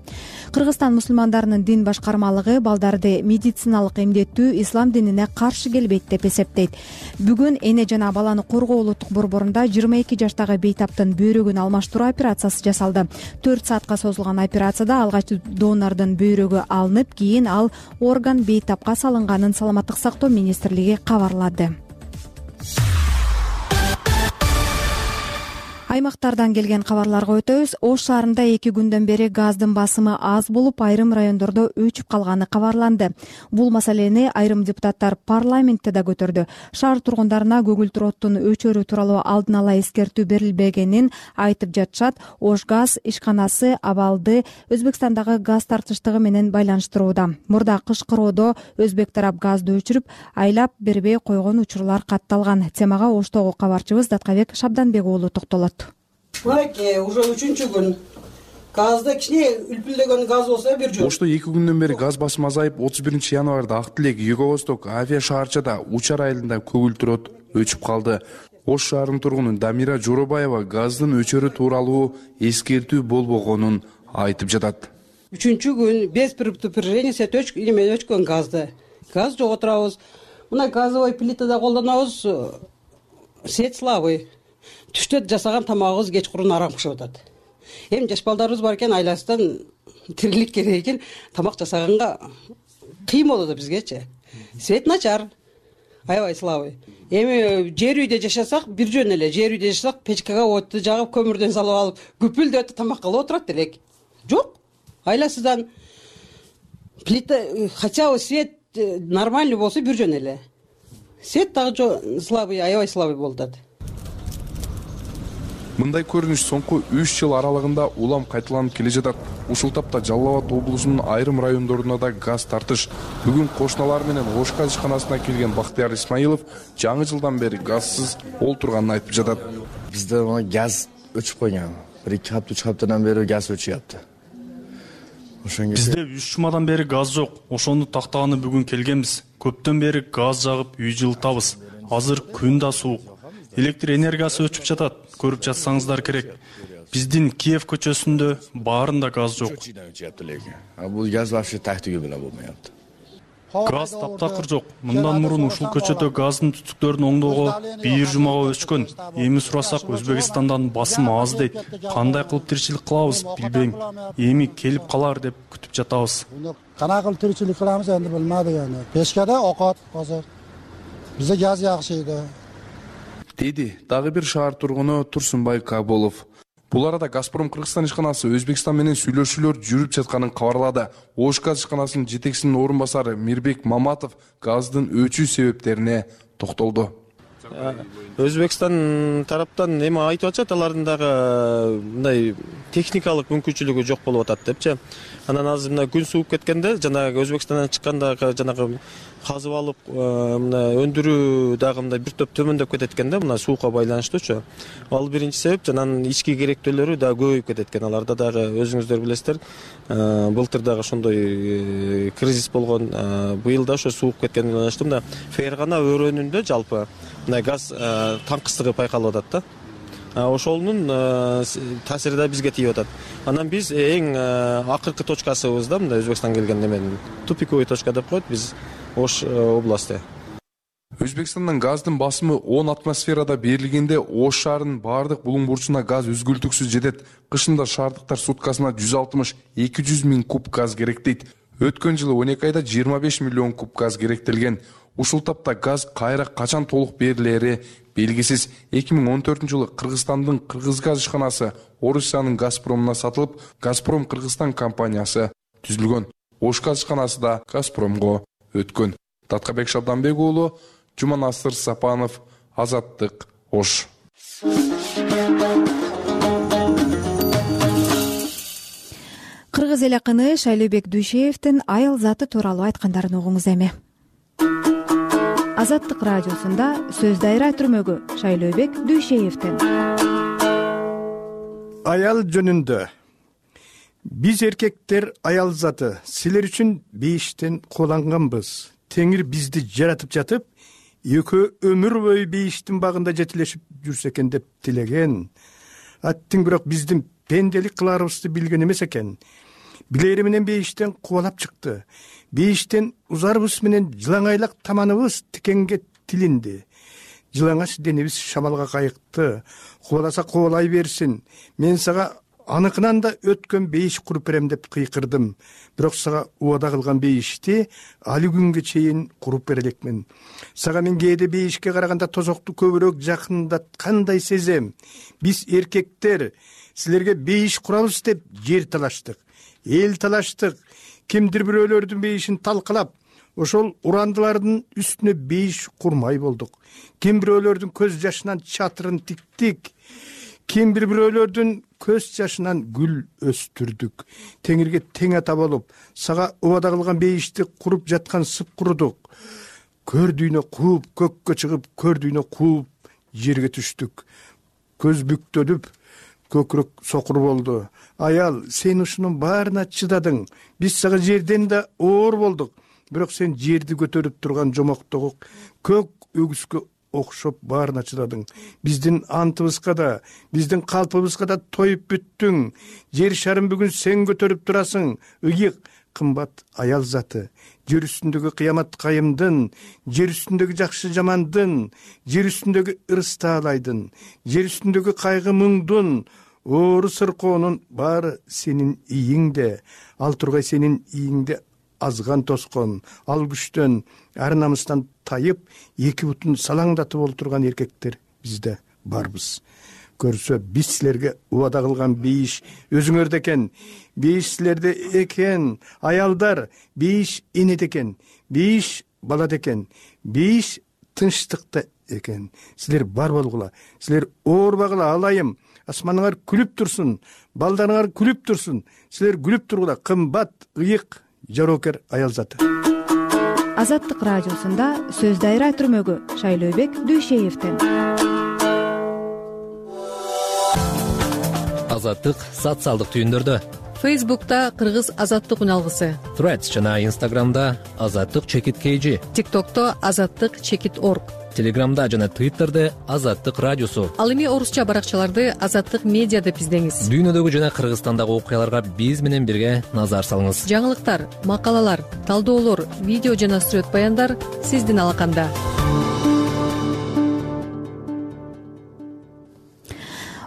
Кыргызстан мусулмандарынын дин башкармалыгы балдарды медициналык эмдеттүү ислам динине каршы келбейт деп эсептейт. Бүгүн эне жана баланы коргоо улуттук борборунда 22 жаштагы бейтаптын бөйрөгүн алмаштыруу операциясы жасалды. 4 саатка созулган операцияда алгач донордун бөйрөгү алынып, кийин ал орган бейтапка салынганын Саламаттык сактоо министрлиги кабарлады. Аймактардан келген кабарларга өтөбүз. Ош шаарында 2 күндөн бери газдын басымы аз болуп, айрым райондордо өчүп калганы кабарланды. Бул маселени айрым депутаттар парламентте да көтөрдү. Шаар тургундарына көгүлтүр оттун өчөрү тууралуу алдын ала эскертүү берилбегенин айтып жатышат. Ош газ ишканасы абалды Өзбекстандагы газ тартыштыгы менен байланыштырууда. Мурда кыш кыроодо өзбек тарап газды өчүрүп, айлап бербей койгон учурлар катталган. Темага Оштогу кабарчыбыз Даткабек Шабданбек уулу токтолот. Мынакей уже 3-чү күн газда кичине үлпүлдөгөн газ болсо бир жол. Ошто 2 күндөн бери газ басымы азайып, 31 январда Ак Тилек Юго-Восток авиа шаарчада Учар айылында көгүлтүр от өчүп калды. Ош шаарынын тургуну Дамира Жоробаева газдын өчөрү тууралуу эскертүү болбогонун айтып жатат. 3-чү күн без предупреждения өчкөн газды. Газ жок турабыз. Мына газовый плитада колдонобуз. Свет слабый. Түштө жасаган тамагыбыз кечкурун арам пышып атат. Эми жаш балдарыбыз бар экен, айласынан тирилик керек экен, тамак жасаганга кыйын болот бизгечи. Свет начар. Аябай слабый. Эми жер үйдө жашасак, бир жөн эле. Жер үйдө жашасак, печкага отту жагып, көмүрдөн салып алып, күпүлдөтүп тамак кылып отурат элек. Жок. Айласынан плита, хотя бы свет нормальный болсо бир жөн эле. Свет дагы слабый, аябай слабый болуп атат. Мындай көрүнүш соңку 3 жыл аралыгында улам кайталанып келе жатат. Ушул тапта Жалал Абад облусунун айрым райондорунда да газ тартыш. Бүгүн кошуналар менен Ош газ ишканасына келген Бактыяр Исмаилов жаңы жылдан бери газсыз олтурганын айтып жатат. Бизде газ өчүп койгон. 1-2 хапта 3 хаптадан бери газ өчүп. Бизде 3 жумадан бери газ жок. Ошону тактаганы бүгүн келгенбиз. Көптөн бери газ жагып үй жылытабыз. Азыр күн да суук. Электр энергиясы өчүп жатат. Көрүп жатсаңыздар керек. Биздин Киев көчөсүндө баарында газ жок. Бул газ вообще тактыгы менен болмойт. Газ таптакыр жок. Мындан мурун ушул көчөдө газдын түтүктөрүн оңдоого 1 жумага өчкөн. Эми сурасак Өзбекстандан басым аз дейт. Кандай кылып тиричилик кылабыз билбейм. Эми келип калар деп күтүп жатабыз. Кандай кылып тиричилик кыламыз энди билмедик эми. Печкада окот азыр. Бизде газ жакшыйды. Деди дагы бир шаар тургуну Турсунбай Каболов. Бул арада Газпром Кыргызстан ишканасы Өзбекстан менен сүйлөшүүлөр жүрүп жатканын кабарлады. Ош газ ишканасынын жетекчисинин орун басары Мирбек Маматов газдын өчүү себептерине токтолду. Өзбекстан тараптан эме айтып атышат, алардын дагы мындай техникалык мүмкүнчүлүгү жок болуп атат депчи. Анан азыр мына күн сууп кеткенде жанагы Өзбекстандан чыкканда жанагы казып алып мына өндүрүү дагы мындай бир топ төмөндөп кетет экен да, мына суукка байланыштуучу. Ал биринчи себеп. Анан ички керектөөлөрү дагы көбөйүп кетет экен. Аларда дагы өзүңүздөр билесиздер, былтыр дагы ошондой кризис болгон. Быйыл да ошо сууп кеткенине байланыштуу мына Фергана өрөөнүндө жалпы мына газ таңкыстыгы байкалып атат да. Ошонун таасири да бизге тийип атат. Анан биз эң акыркы точкасыбыз да, мындай Өзбекстан келген эменин тупиковый точка деп коет биз Ош областы. Өзбекстандан газдын басымы 10 атмосферада берилгенде Ош шаарынын баардык булуң бурчуна газ үзгүлтүксүз жетет. Кышында шаардыктар суткасына 160-200 миң куб газ керек дейт. Өткөн жылы 12 айда 25 миллион куб газ керектелген. Ушул тапта газ кайра качан толук берилери белгисиз. 2014 жылы Кыргызстандын Кыргызгаз ишканасы Орусиянын Газпромуна сатылып, Газпром Кыргызстан компаниясы түзүлгөн. Ош газ ишканасы да Газпромго өткөн. Таткабек Шабданбек уулу, Жуманасыр Сапанов, Азаттык, Ош. Кыргыз эл акыны Шайлообек Дүйшеевдин айыл заты тууралуу айткандарын угуңуз эми. Азаттык радиосунда сөз дайра түрмөгү Шайлообек Дүйшеевдин. Аял жөнүндө. Биз эркектер аял заты, силер үчүн бейиштен кууланганбыз. Теңир бизди жаратып жатып, экөө өмүр бою бейиштин багында жетилешип жүрсө экен деп тилеген. Аттың бирок биздин пенделик кыларыбызды билген эмес экен. Билери менен бейиштен кубалап чыкты. Бейиштен узарыбыз менен жылаңайлак таманыбыз тикенге тилинди. Жылаңач денебиз шамалга кайыкты. Кубаласа кубалай берсин. Мен сага аныкынан да өткөн бейиш куруп берем деп кыйкырдым. Бирок сага убада кылган бейишти али күнгө чейин куруп бере элекмин. Сага мен кээде бейишке караганда тозокту көбүрөөк жакындаткандай сезем. Биз эркектер силерге бейиш курабыз деп жер талаштык, эл талаштык. Кимдир бирөөлөрдүн бейишин талкалап, ошол урандылардын үстүнө бейиш курмай болдук. Ким бирөөлөрдүн көз жашынан чатырын тиктик. Ким бирөөлөрдүн көз жашынан гүл өстүрдүк. Теңирге тең ата болуп, сага убада кылган бейишти куруп жаткан сыпкурудук. Көрдүйнө кууп, көккө чыгып, көрдүйнө кууп, жерге түштүк. Көз бүктөлүп, көкүрөк сокур болду. Аял, сен ушунун баарына чыдадың. Биз сага жерден да оор болдук. Бирок сен жерди көтөрүп турган жомоктогу көк өгүскө окшоп баарына чыдадың. Биздин антыбызга да, биздин калпыбызга да тоюп бүттүң. Жер шарын бүгүн сен көтөрүп турасың. Ыйык, кымбат аял заты. Жер үстүндөгү кыямат кайымдын, жер үстүндөгү жакшы жамандын, жер үстүндөгү ырыс таалайдын, жер үстүндөгү кайгы муңдун, оору сыркоонун баары сенин ийиңде. Ал тургай сенин ийиңде азган тоскон, ал күчтөн, ар намыстан тайып, эки бутун салаңдатып олтурган эркектер бизде барбыз. Көрсө биз силерге убада кылган бейиш өзүңөрдө экен. Бейиш силерде экен. Аялдар, бейиш энеде экен. Бейиш балада экен. Бейиш тынчтыкта экен. Силер бар болгула. Силер оорбагыла, алайым. Асманыңар күлүп турсун, балдарыңар күлүп турсун. Силер күлүп тургула. Кымбат, ыйык, жароокер аял заты. Азаттык радиосунда сөз дайра түрмөгү Шайлообек Дүйшеевдин. Азаттык социалдык түйүндөрдө. Фейсбукта Кыргыз азаттык үналгысы. Threads жана Instagramда Азаттык чекит KG. TikTokто Азаттык чекит org. Телеграмда жана Twitterде Азаттык радиосу. Ал эми орусча баракчаларды Азаттык медиа деп издеңиз. Дүйнөдөгү жана Кыргызстандагы окуяларга биз менен бирге назар салыңыз. Жаңылыктар, макалалар, талдоолор, видео жана сүрөт баяндар сиздин алаканда.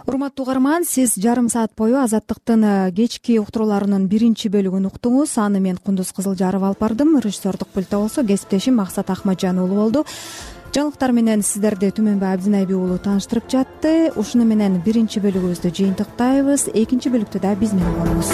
Урматтуу угарман, сиз жарым саат бою Азаттыктын кечки уктурууларынын биринчи бөлүгүн уктуңуз. Аны мен Кундуз Кызылжаров алып бардым. Режиссердук пультта болсо кесиптешим Максат Ахматжан уулу болду. Жаңылыктар менен сиздерди Түмөнбай Абдинайби уулу тааныштырып жатты. Ушуну менен биринчи бөлүгүбүздү жыйынтыктайбыз. Экинчи бөлүктө да биз менен болуңуз.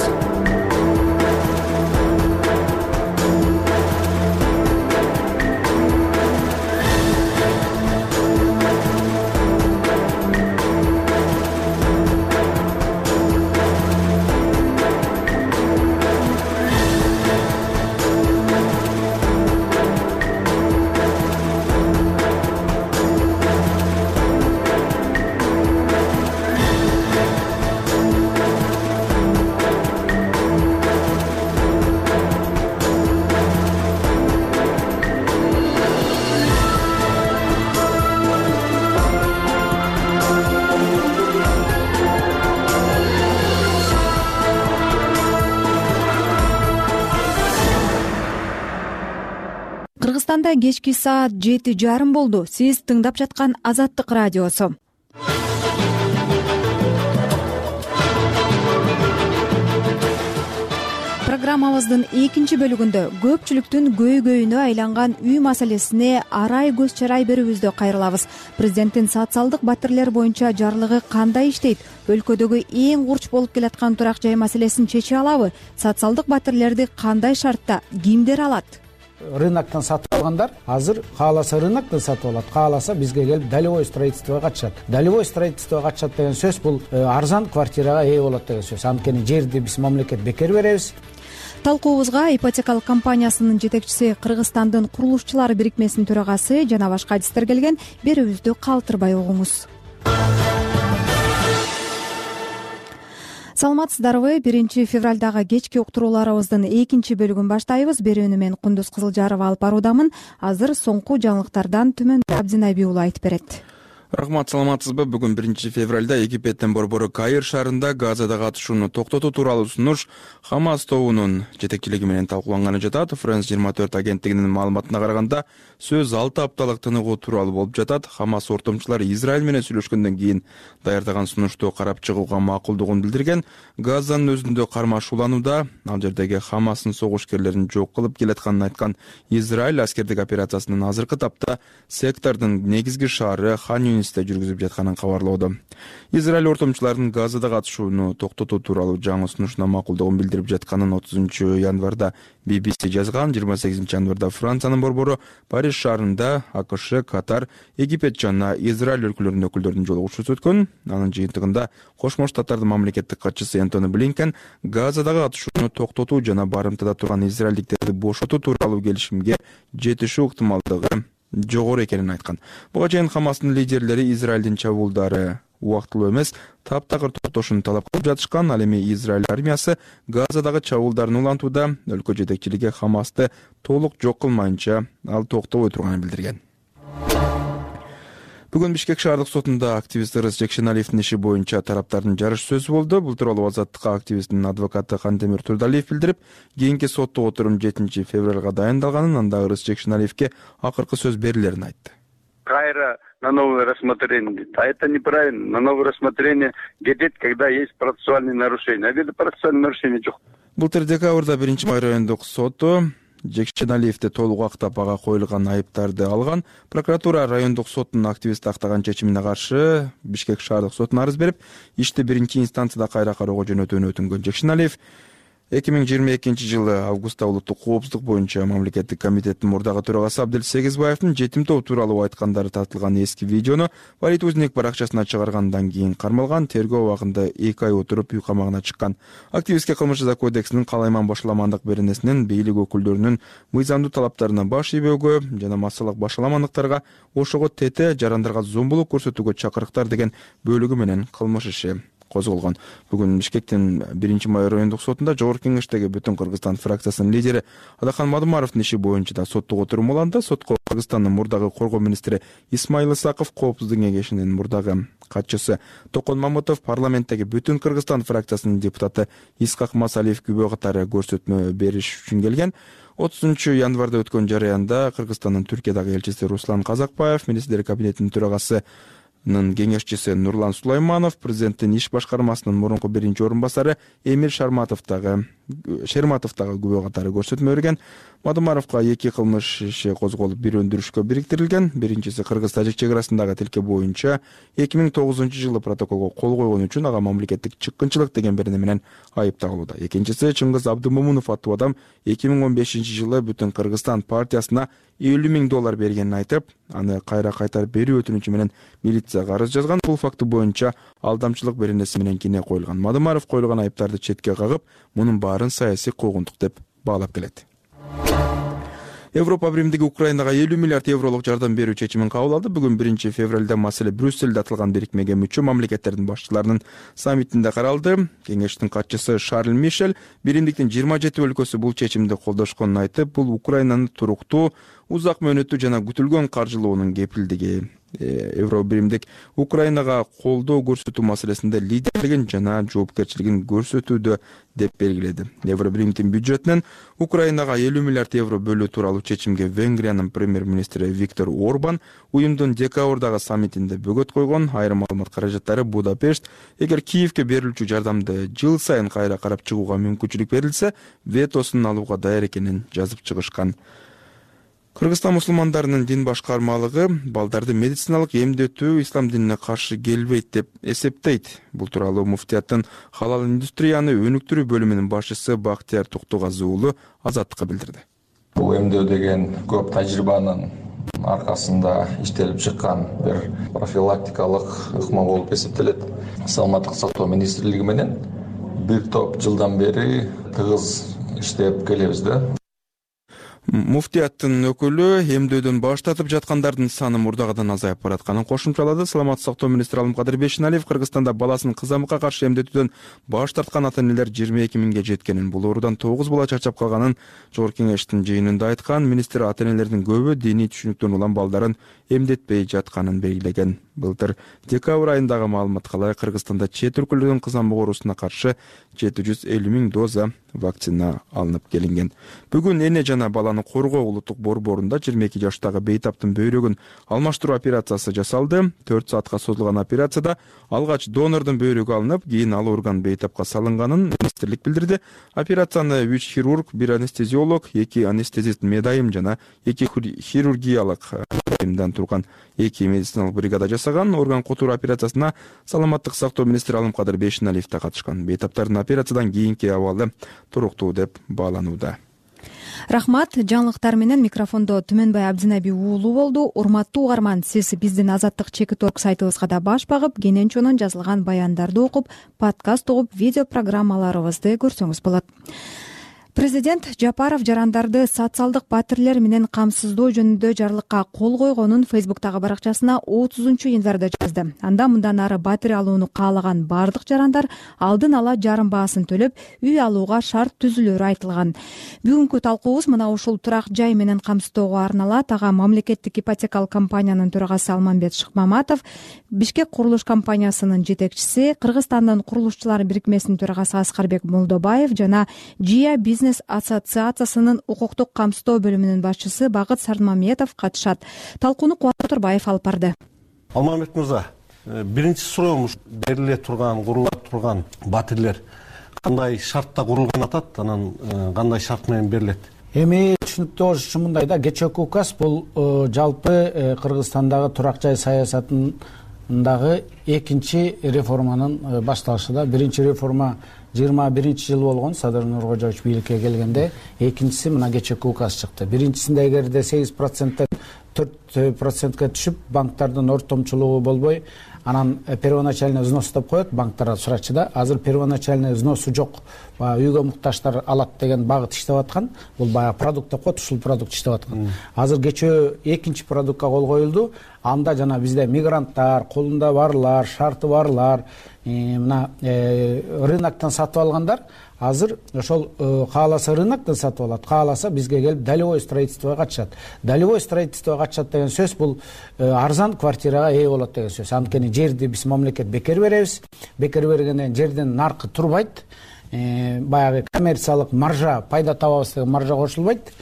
Кыргызстанда кечки саат 7:30 болду. Сиз тыңдап жаткан Азаттык радиосу. Программабыздын экинчи бөлүгүндө көпчүлүктүн көйгөйүнө айланган үй маселесине арай көз чарай берүүбүздө кайрылабыз. Президенттин социалдык батирлер боюнча жарлыгы кандай иштейт? Өлкөдөгү эң курч болуп келаткан турак жай маселесин чече алабы? Социалдык батирлерди кандай шартта кимдер алат? Рыноктон сатып алгандар азыр кааласа рыноктон сатып алат, кааласа бизге келип долевой строительствого катышат. Долевой строительствого катышат деген сөз бул арзан квартирага ээ болот деген сөз. Анткени жерди биз мамлекет бекер беребиз. Талкуубузга ипотекалык компаниясынын жетекчиси, Кыргызстандын курулушчулар бирикмесинин төрагасы жана башка адистер келген. Берүүбүздү калтырбай угуңуз. Саламатсыздарбы? 1 февралдагы кечки уктурууларыбыздын экинчи бөлүгүн баштайбыз. Берүүнү мен Кундуз Кызылжарова алып баруудамын. Азыр соңку жаңылыктардан Түмөнбай Абдинабий уулу айтып берет. Рахмат, саламатсызбы? Бүгүн 1 февралда Египеттин борбору Каир шаарында Газадагы атышууну токтотуу тууралуу сунуш Хамас тобунун жетекчилиги менен талкууланганы жатат. France 24 агенттигинин маалыматына караганда, сөз 6 апталык тыныгуу тууралуу болуп жатат. Хамас ортомчулары Израиль менен сүйлөшкөндөн кийин даярдаган сунушту карап чыгууга макулдугун билдирген. Газанын өзүндө кармашууланууда, ал жердеги Хамастын согушкерлерин жок кылып келатканын айткан Израиль аскердик операциясынын азыркы тапта сектордун негизги шаары Хан жүргүзүп жатканын кабарлоодо. Израиль ортомчуларынын Газадагы атышууну токтотуу тууралуу жаңы сунушуна макулдугун билдирип жатканын 30 январда BBC жазган. 28 январда Франциянын борбору Париж шаарында АКШ, Катар, Египет жана Израиль өлкөлөрүнүн өкүлдөрүнүн жолугушуусу өткөн. Анын жыйынтыгында Кошмо Штаттардын мамлекеттик катчысы Антони Блинкен Газадагы атышууну токтотуу жана барымтада турган израилдиктерди бошотуу тууралуу келишимге жетишүү ыктымалдыгы жогору экенин айткан. Буга чейин Хамастын лидерлери Израилдин чабуулдары убактылуу эмес, таптакыр токтошун талап кылып жатышкан. Ал эми Израиль армиясы Газадагы чабуулдарын улантууда, өлкө жетекчилиги Хамасты толук жок кылмайынча ал токтобой турганын билдирген. Бүгүн Бишкек шаардык сотунда активист Ырыс Жекшеналиевдин иши боюнча тараптардын жарыш сөзү болду. Бул тууралуу Азаттыкка активисттин адвокаты Кантемир Турдалиев билдирип, кийинки соттук отурум 7 февралга дайындалганын, анда Ырыс Жекшеналиевке акыркы сөз берилерин айтты. Кайра на новое рассмотрение. А это неправильно. На новое рассмотрение гедет, когда есть процессуальные нарушения. А где процессуальные нарушения жок. Былтыр декабрда 1 май райондук соту Жекшеналиевди толук актап ага коюлган айыптарды алган. Прокуратура райондук соттун активист актаган чечимине каршы Бишкек шаардык сотуна арыз берип, ишти 1-инстанцияда кайра кароого жөнөтүүнү өтүнгөн. Жекшеналиев 2022 жылы августта улуттук коопсуздук боюнча мамлекеттик комитеттин мурдагы төрагасы Абдел Сегизбаевдин жетим топ тууралуу айткандары тартылган эски видеону Политузник баракчасына чыгаргандан кийин кармалган. Тергөө убагында 2 ай отуруп үй камагына чыккан. Активистке кылмыш жаза кодексинин калайман башаламандык беренесинин бийлик өкүлдөрүнүн мыйзамдуу талаптарына баш ийбөөгө жана массалык башаламандыктарга, ошого тете, жарандарга зомбулук көрсөтүүгө чакырыктар деген бөлүгү менен кылмыш иши козголгон. Бүгүн Бишкектин 1 май райондук сотунда Жогорку Кеңештеги Бүтүн Кыргызстан фракциясынын лидери Адахан Мадымаровдун иши боюнча да соттук отурум уланды. Сотко Кыргызстандын мурдагы коргоо министри Исмаил Исаков, Коопсуздук кеңешинин мурдагы катчысы Токон Мамытов, парламенттеги Бүтүн Кыргызстан фракциясынын депутаты Исхак Масалиев күбө катары көрсөтмө бериш үчүн келген. 30 январда өткөн жарыянда Кыргызстандын Түркиядагы элчиси Руслан Казакбаев, министрлер кабинетинин төрагасы кеңешчиси Нурлан Сулайманов, президенттин иш башкармасынын мурунку 1-орун басары Эмир Шерматовдагы күбө катары көрсөтмө берген. Мадымаровго 2 кылмыш иши козголуп, бир өндүрүшкө бириктирилген. Биринчиси Кыргыз-Тажик чек арасындагы тилке боюнча 2009 жылы протоколго кол койгон үчүн ага мамлекеттик чыккынчылык деген берене менен айыпталууда. Экинчиси Чыңгыз Абдымомунов аттуу адам 2015 жылы Бүтүн Кыргызстан партиясына $50,000 бергенин айтып, аны кайра кайтарып берүү өтүнүчү менен милицияга арыз жазган. Бул факты боюнча алдамчылык беренеси менен кине коюлган. Мадымаров коюлган айыптарды четке кагып, мунун баарын саясий куугунтук деп баалап келет. Европа биримдиги Украинага 50 миллиард евролук жардам берүү чечимин кабыл алды. Бүгүн 1 февралда маселе Брюссельде атылган бирикмеге мүчө мамлекеттердин башчыларынын саммитинде каралды. Кеңештин катчысы Шарль Мишель биримдиктин 27 өлкөсү бул чечимди колдошконун айтып, бул Украинанын туруктуу, узак мөөнөттүү жана күтүлгөн каржылоонун кепилдиги. евро биримдик Украинага колдоо көрсөтүү маселесинде лидерлигин жана жоопкерчилигин көрсөтүүдө деп белгиледи. Евро биримдин бюджетинен Украинага 50 миллиард евро бөлүү тууралуу чечимге Венгриянын премьер-министри Виктор Орбан уюмдун декабрдагы саммитинде бөгөт койгон. Айрым маалымат каражаттары Будапешт эгер Киевге берилчү жардамды жыл сайын кайра карап чыгууга мүмкүнчүлүк берилсе, ветосун алууга даяр экенин жазып чыгышкан. Кыргызстан мусулмандарынын дин башкармалыгы балдарды медициналык эмдетүү ислам динине каршы келбейт деп эсептейт. Бул тууралуу муфтияттын халал индустрияны өнүктүрүү бөлүмүнүн башчысы Бактияр Токтогазы уулу Азаттыкка билдирди. Бул эмдөө деген көп тажрыйбанын аркасында иштелип чыккан бир профилактикалык ыкма болуп эсептелет. Саламаттык сактоо министрлиги менен бир топ жылдан бери тыгыз иштеп келебиз да. Муфтияттын өкүлү эмдөөдөн баш тартып жаткандардын саны мурдагыдан азайып баратканын кошумчалады. Саламаттык сактоо министри Алымкадыр Бешеналиев Кыргызстанда баласын кызамыкка каршы эмдетүүдөн баш тарткан ата-энелер 22 миңге жеткенин, бул оорудан 9 бала чарчап калганын Жогорку кеңештин жыйынында айткан. Министр ата-энелердин көбү диний түшүнүктөн улам балдарын эмдетпей жатканын белгилеген. Былтыр декабрь айындагы маалыматка ылайык Кыргызстанда чет өлкөлөрдүн кызамык оорусуна каршы 750 миң доза вакцина алынып келинген. Бүгүн эне жана баланы коргоо улуттук борборунда 22 жаштагы бейтаптын бөйрөгүн алмаштыруу операциясы жасалды. 4 саатка созулган операцияда алгач донордун бөйрөгү алынып, кийин ал орган бейтапка салынганын министрлик билдирди. Операцияны 3 хирург, 1 анестезиолог, 2 анестезист медайым жана 2 хирургиялык медайымдан турган 2 медициналык бригада жасаган. Орган которуу операциясына саламаттык сактоо министри Алымкадыр Бешеналиев да катышкан. Бейтаптардын операциядан кийинки абалы туруктуу деп бааланууда. Рахмат. Жаңылыктар менен микрофондо Түмөнбай Абдинаби уулу болду. Урматтуу угарман, сиз биздин Азаттык Чекит.org сайтыбызга да баш багып, Кененчонун жазылган баяндарды окуп, подкаст угуп, видео программаларыбызды көрсөңүз болот. Президент Жапаров жарандарды социалдык батирлер менен камсыздоо жөнүндө жарлыкка кол койгонун Фейсбуктагы баракчасына 30-январда жазды. Анда мындан ары батир алууну каалаган бардык жарандар алдын ала жарым баасын төлөп, үй алууга шарт түзүлөрү айтылган. Бүгүнкү талкуубуз мына ушул турак жай менен камсыздоого арналат. Ага мамлекеттик ипотекалык компаниянын төрагасы Алмамбет Шыкмаматов, Бишкек курулуш компаниясынын жетекчиси, Кыргызстандын курулушчулар бирикмесинин төрагасы Аскарбек Молдобаев жана Жия бизнес ассоциациясынын укуктук камсыздоо бөлүмүнүн башчысы Багыт Сармаметов катышат. Талкууну Кубат Турбаев алып барды. Алмамбет мырза, биринчи суроомуз бериле турган, курула турган батирлер кандай шартта курулган атат, анан кандай шарт менен берилет? Эми түшүнүктүү болуш үчүн мындай да, кечээки указ бул жалпы Кыргызстандагы турак жай саясатындагы экинчи реформанын башталышында. Биринчи реформа 21-жыл болгон, Садыр Нуркожоевич бийликке келгенде, экинчиси мына кечээки указ чыкты. Биринчисинде эгерде 8%-тен 4%га түшүп, банктардын ортомчулугу болбой, анан первоначальный взнос деп коет, банктар сурачыда. Азыр первоначальный взносу жок, үйгө муктаждар алат деген багыт иштеп аткан. Бул баягы продукт деп коет, ушул продукт иштеп аткан. Азыр кечээ экинчи продуктка кол коюлду. Анда жана бизде мигранттар, колунда барлар, шарты барлар, мына рыноктон сатып алгандар азыр ошол кааласа рыноктон сатып алат, кааласа бизге келип долевой строительствого катышат. Долевой строительствого катышат деген сөз бул арзан квартирага ээ болот деген сөз. Анткени жерди биз мамлекет бекер беребиз. Бекер бергенден жердин наркы турбайт. Баягы коммерциялык маржа, пайда табабыз деген маржа кошулбайт.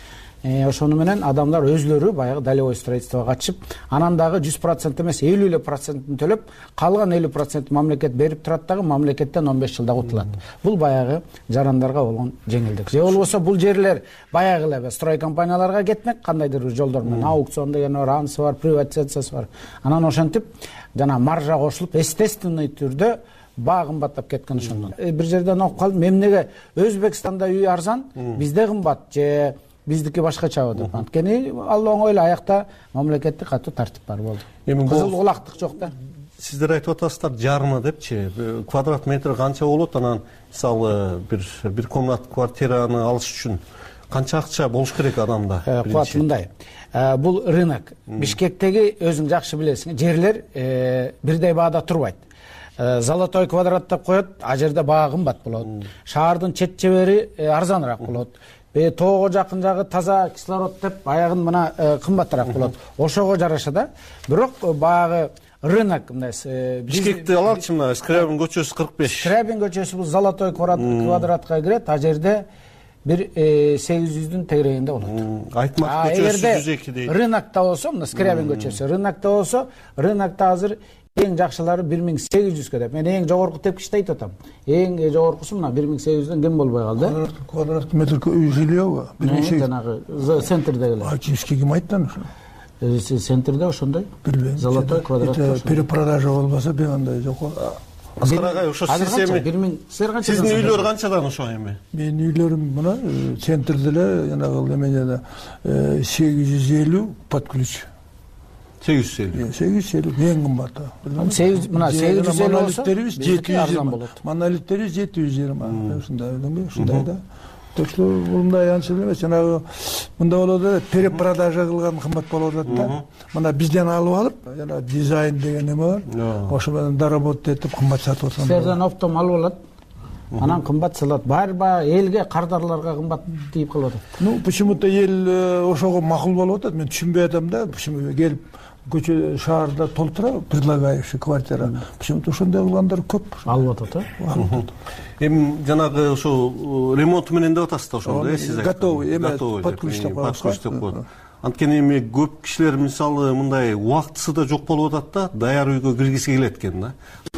Ошону менен адамдар өзлөрү баягы долевой строительствого катышып, анан дагы 100% эмес 50% төлөп, калган 50% мамлекет берип турат дагы, мамлекеттен 15 жылда утулат. Бул баягы жарандарга болгон жеңилдик. Же болбосо бул жерлер баягы эле строй компанияларга кетмек, кандайдыр бир жолдор менен, аукцион деген бар, анысы бар, приватизациясы бар. Анан ошентип жана маржа кошулуп, естественный түрдө баа кымбаттап кеткен ошондон. Бир жерден окуп калдым, эмнеге Өзбекстанда үй арзан, бизде кымбат же биздики башкачабы деп. Анткени ал оңой эле аякта мамлекеттик катуу тартип бар болду. Кызыл кулактык жок да. Сиздер айтып атасыздар жарымы депчи, квадрат метр канча болот? Анан мисалы бир комнат квартираны алыш үчүн канча акча болуш керек адамда? Кубат мындай. Бул рынок. Бишкектеги өзүң жакшы билесиң, жерлер бирдей баада турбайт. Золотой квадрат деп коет, а жерде баа кымбат болот. Шаардын чет жебери арзаныраак болот. тоого жакын жагы таза кислород деп аягын мына кымбатыраак болот. Ошого жараша да. Бирок баягы рынок мындай Бишкекти алалычы, мына Скрябин көчөсү 45. Скрябин көчөсү бул Золотой квадратка кирет. А жерде бир 800-дүн тегерегинде болот. Айтмак көчөсү 102 дейт. Рынокто болсо, мына Скрябин көчөсү. Рынокто болсо, рынокто азыр эң жакшылары 1800 деп. Мен эң жогорку тепкичти айтып атам. Эң жогоркусу мына 1800дөн кем болбой калды. Квадрат метр үй жилиобу? Жанагы центрдегилер. Ачивский ким айттан ошо? Центрде ошондой. Золотой квадрат. Перепродажа болбосо бир андай жок. Аскар агай, ошо сиздин үйлөр канчадан ошо эми? Менин үйлөрүм мына центрде эле жанагы эменде 850 под ключ. 850. 850 эң кымбаты. Мына 850 болсо 720. Монолиттери 720. Ушундай да. Так что мындай анча эмес, жанагы мында болот эле перепродажа кылган кымбат болуп атат да. Мына бизден алып алып, жана дизайн деген неме бар. Ошо менен доработка этип кымбат сатып атат. Сиздерден оптом алып алат. Анан кымбат салат. Барба элге, кардарларга кымбат тийип калып атат. Ну, почему-то эл ошого макул болуп атат. Мен түшүнбөй атам да, почему келип көчө шаарда толтура предлагающий квартира. Почему-то ошондой кылгандар көп. Алып атат, Эми жанагы ошо ремонт менен деп атасыз да ошондо, сиз готовый, эме под ключ деп коет. Анткени эми көп кишилер мисалы мындай убактысы да жок болуп атат да, даяр үйгө киргиси келет экен да.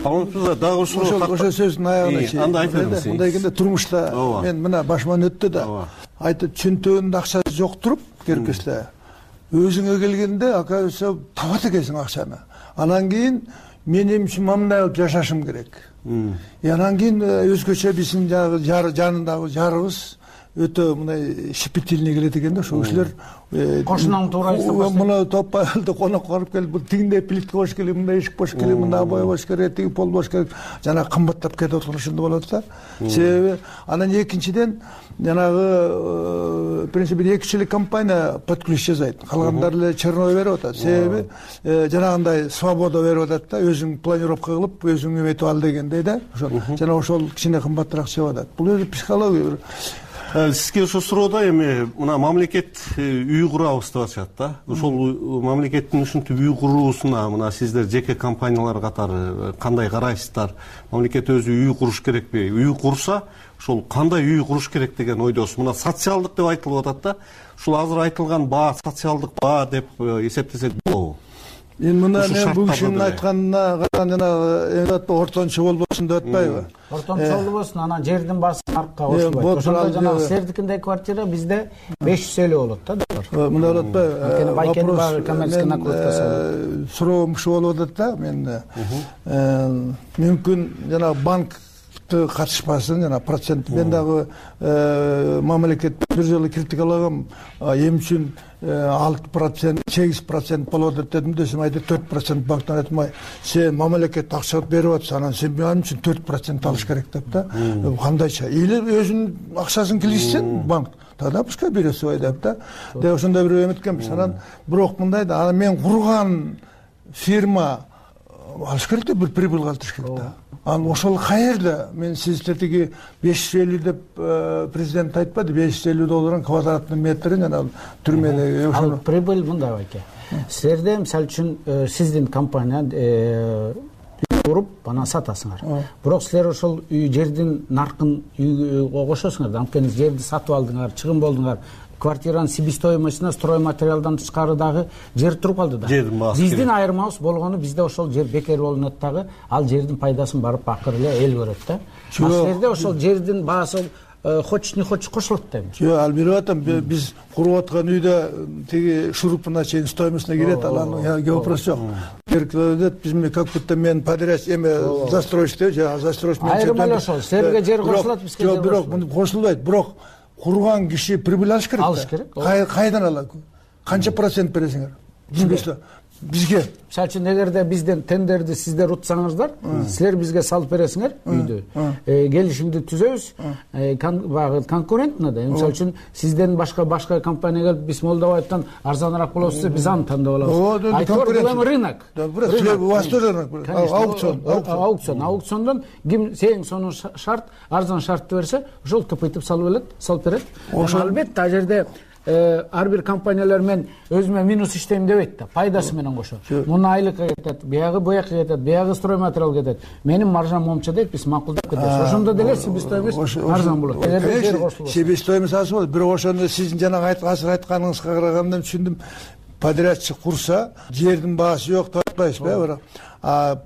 Дагы ошо сөздүн аягына чейин. Анда айтып бериңиз. Мындай экен да, турмушта мен мына башыман өттү да. Айтып чөнтөгүндө акча жок туруп, керкесле. Өзүңө келгенде оказывается табат экенсиң акчаны. Анан кийин мен эмчи мындай кылып жашашым керек. Анан кийин өзгөчө биздин жанындагы жарыбыз өтө мындай щепетильный келет экен да, ошо кишилер кошунан туура мына топпайлды конокко барып келип, бул тигиндей плитка болуш керек, мындай ишик болуш керек, мындай бой болуш керек, тиги пол болуш керек. Жана кымбаттап кетип аткан ошондо болот да. Себеби анан экинчиден жанагы принципе 2 эле компания под ключ жасайт. Калгандары эле черновой берип атат. Себеби жанагындай свобода берип атат да, өзүң планировка кылып, өзүң эметип ал дегендей да. Жана ошол кичине кымбатыраак чыгып атат. Бул өзү психология. Сизге ошо суроода эми мына мамлекет үй курабыз деп атышат да. Ошол мамлекеттин ушинтип үй куруусуна мына сиздер жеке компаниялар катары кандай карайсыздар? Мамлекет өзү үй куруш керекпи? Үй курса, ошол кандай үй куруш керек деген ойдосуз. Мына социалдык деп айтылып атат да. Ушул азыр айтылган баа социалдык баа деп эсептесек болобу? Мен мына бул кишинин айтканына караганда жана ортончу болбосун деп атпайбы? Ортончу болбосун, анан жердин баасы наркка кошулбайт. Ошондо жанагы сиздикиндей квартира бизде 550 болот да. Мындай болот атпайбы? Анткени байкенин баары коммерческий накладка. Суроом ушул болуп атат да, мен мүмкүн жанагы банк катышпасын, жана процент мен дагы мамлекет бир жолу критикалагам, эмне үчүн 6%, 8% болот дедим десем, айтып 4% банктан айтмай, сен мамлекет акча берип атса, анан сен мен үчүн 4% алыш керек деп да. Кандайча? Или өзүнүн акчасын киргизсен банк, тогда пускай берет свой деп да. Деп ошондой бир эметкенбиз. Анан бирок мындай да, анан мен курган фирма алыш керек да, бир прибыль калтырыш керек да. Анан ошол каерде мен сиздердеги 550 деп президент айтпады, $550 квадратный метрин анан түрмедеги ошол прибыль мындай байке. Сиздерде мисалы үчүн сиздин компания үй куруп анан сатасыңар. Бирок силер ошол үй жердин наркын үйгө кошосуңар. Анткени жерди сатып алдыңар, чыгым болдуңар. Квартиранын себестоимостуна стройматериалдан тышкары дагы жер туруп калды да. Биздин айырмабыз болгону, бизде ошол жер бекер болунат дагы, ал жердин пайдасын барып акыры эле эл көрөт да. Силерде ошол жердин баасы хочешь не хочешь кошулат да. Жок, ал берип атам, биз куруп аткан үйдө тиги шурупуна чейин стоимостуна кирет, анан вопрос жок. Биз как будто мен подряд застройщик, застройщик мен айырма эле ошол. Силерге жер кошулат, бизге жер кошулбайт. Бирок кошулбайт, бирок курган киши прибыль алыш керек. Алыш керек. Кайдан алат? Канча процент бересиңер? бизге мисалы үчүн эгерде бизден тендерди сиздер утсаңыздар, силер бизге салып бересиңер үйдү. Келишимди түзөбүз. Багы конкурентно да. Мисалы үчүн сизден башка компания келип Бисмолдабаевтан арзаныраак болот десе, биз аны тандап алабыз. Айткан рынок. Аукциондон ким эң сонун шарт, арзан шартты берсе, ошол тыпыйтып салып берет. Албетте, ал жерде ар бир компаниялар мен өзүмө минус иштейм дебейт да, пайдасы менен кошо. Муну айлыкка кетет, биягы боякка кетет, биягы стройматериал кетет. Менин маржам момча дейт, биз макулдап кетебиз. Ошондо деле себестоимость арзан болот. Себестоимость арзан болот. Бирок ошондо сиздин жанагы айтканыңызга караганда түшүндүм. Подрядчик курса, жердин баасы жок деп атпайсызбы, бирок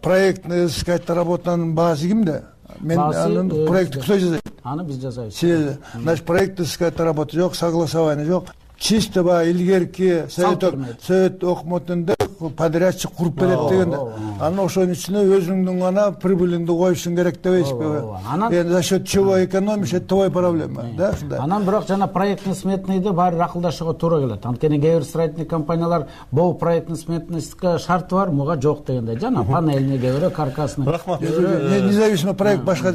проектный искать работанын баасы кимде? Мен анын проектти кто жазайт? Аны биз жасайбыз. Значит, проект искать работа жок, согласование жок. Чисто баягы илгерки совет өкмөтүндө подрядчик куруп берет дегенде, анан ошонун ичине өзүңдүн гана прибылиңди коюшуң керек дебейсизби? Эми за счет чего экономишь, это твоя проблема, да, ушундай. Анан бирок жана проектный сметныйды баары акылдашууга туура келет. Анткени кээ бир строительный компаниялар бул проектный сметныйга шарты бар, муга жок дегенде. Жана панельный кээ бирөө каркасный. Рахмат. Независимый проект башка.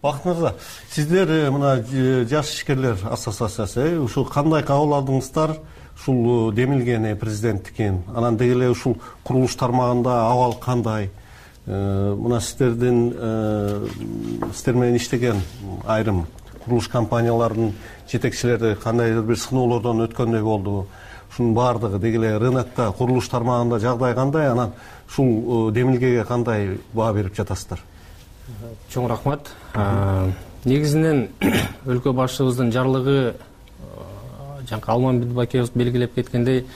Бакыт мырза, сиздер мына жаш ишкерлер ассоциациясы ушул кандай кабыл алдыңыздар? Ушул демилген президенттикин, анан деги эле ушул курулуш тармагында абал кандай? Мына сиздер менен иштеген айрым курулуш компанияларынын жетекчилери кандайдыр бир сыноолордон өткөндөй болду. Ушунун баардыгы деги эле рынокто курулуш тармагында жагдай кандай? Анан ушул демилгеге кандай баа берип жатасыздар? Чоң рахмат. Негизинен өлкө башчыбыздын жарлыгы жаңкы Алмамбет Бакебов белгилеп кеткендей,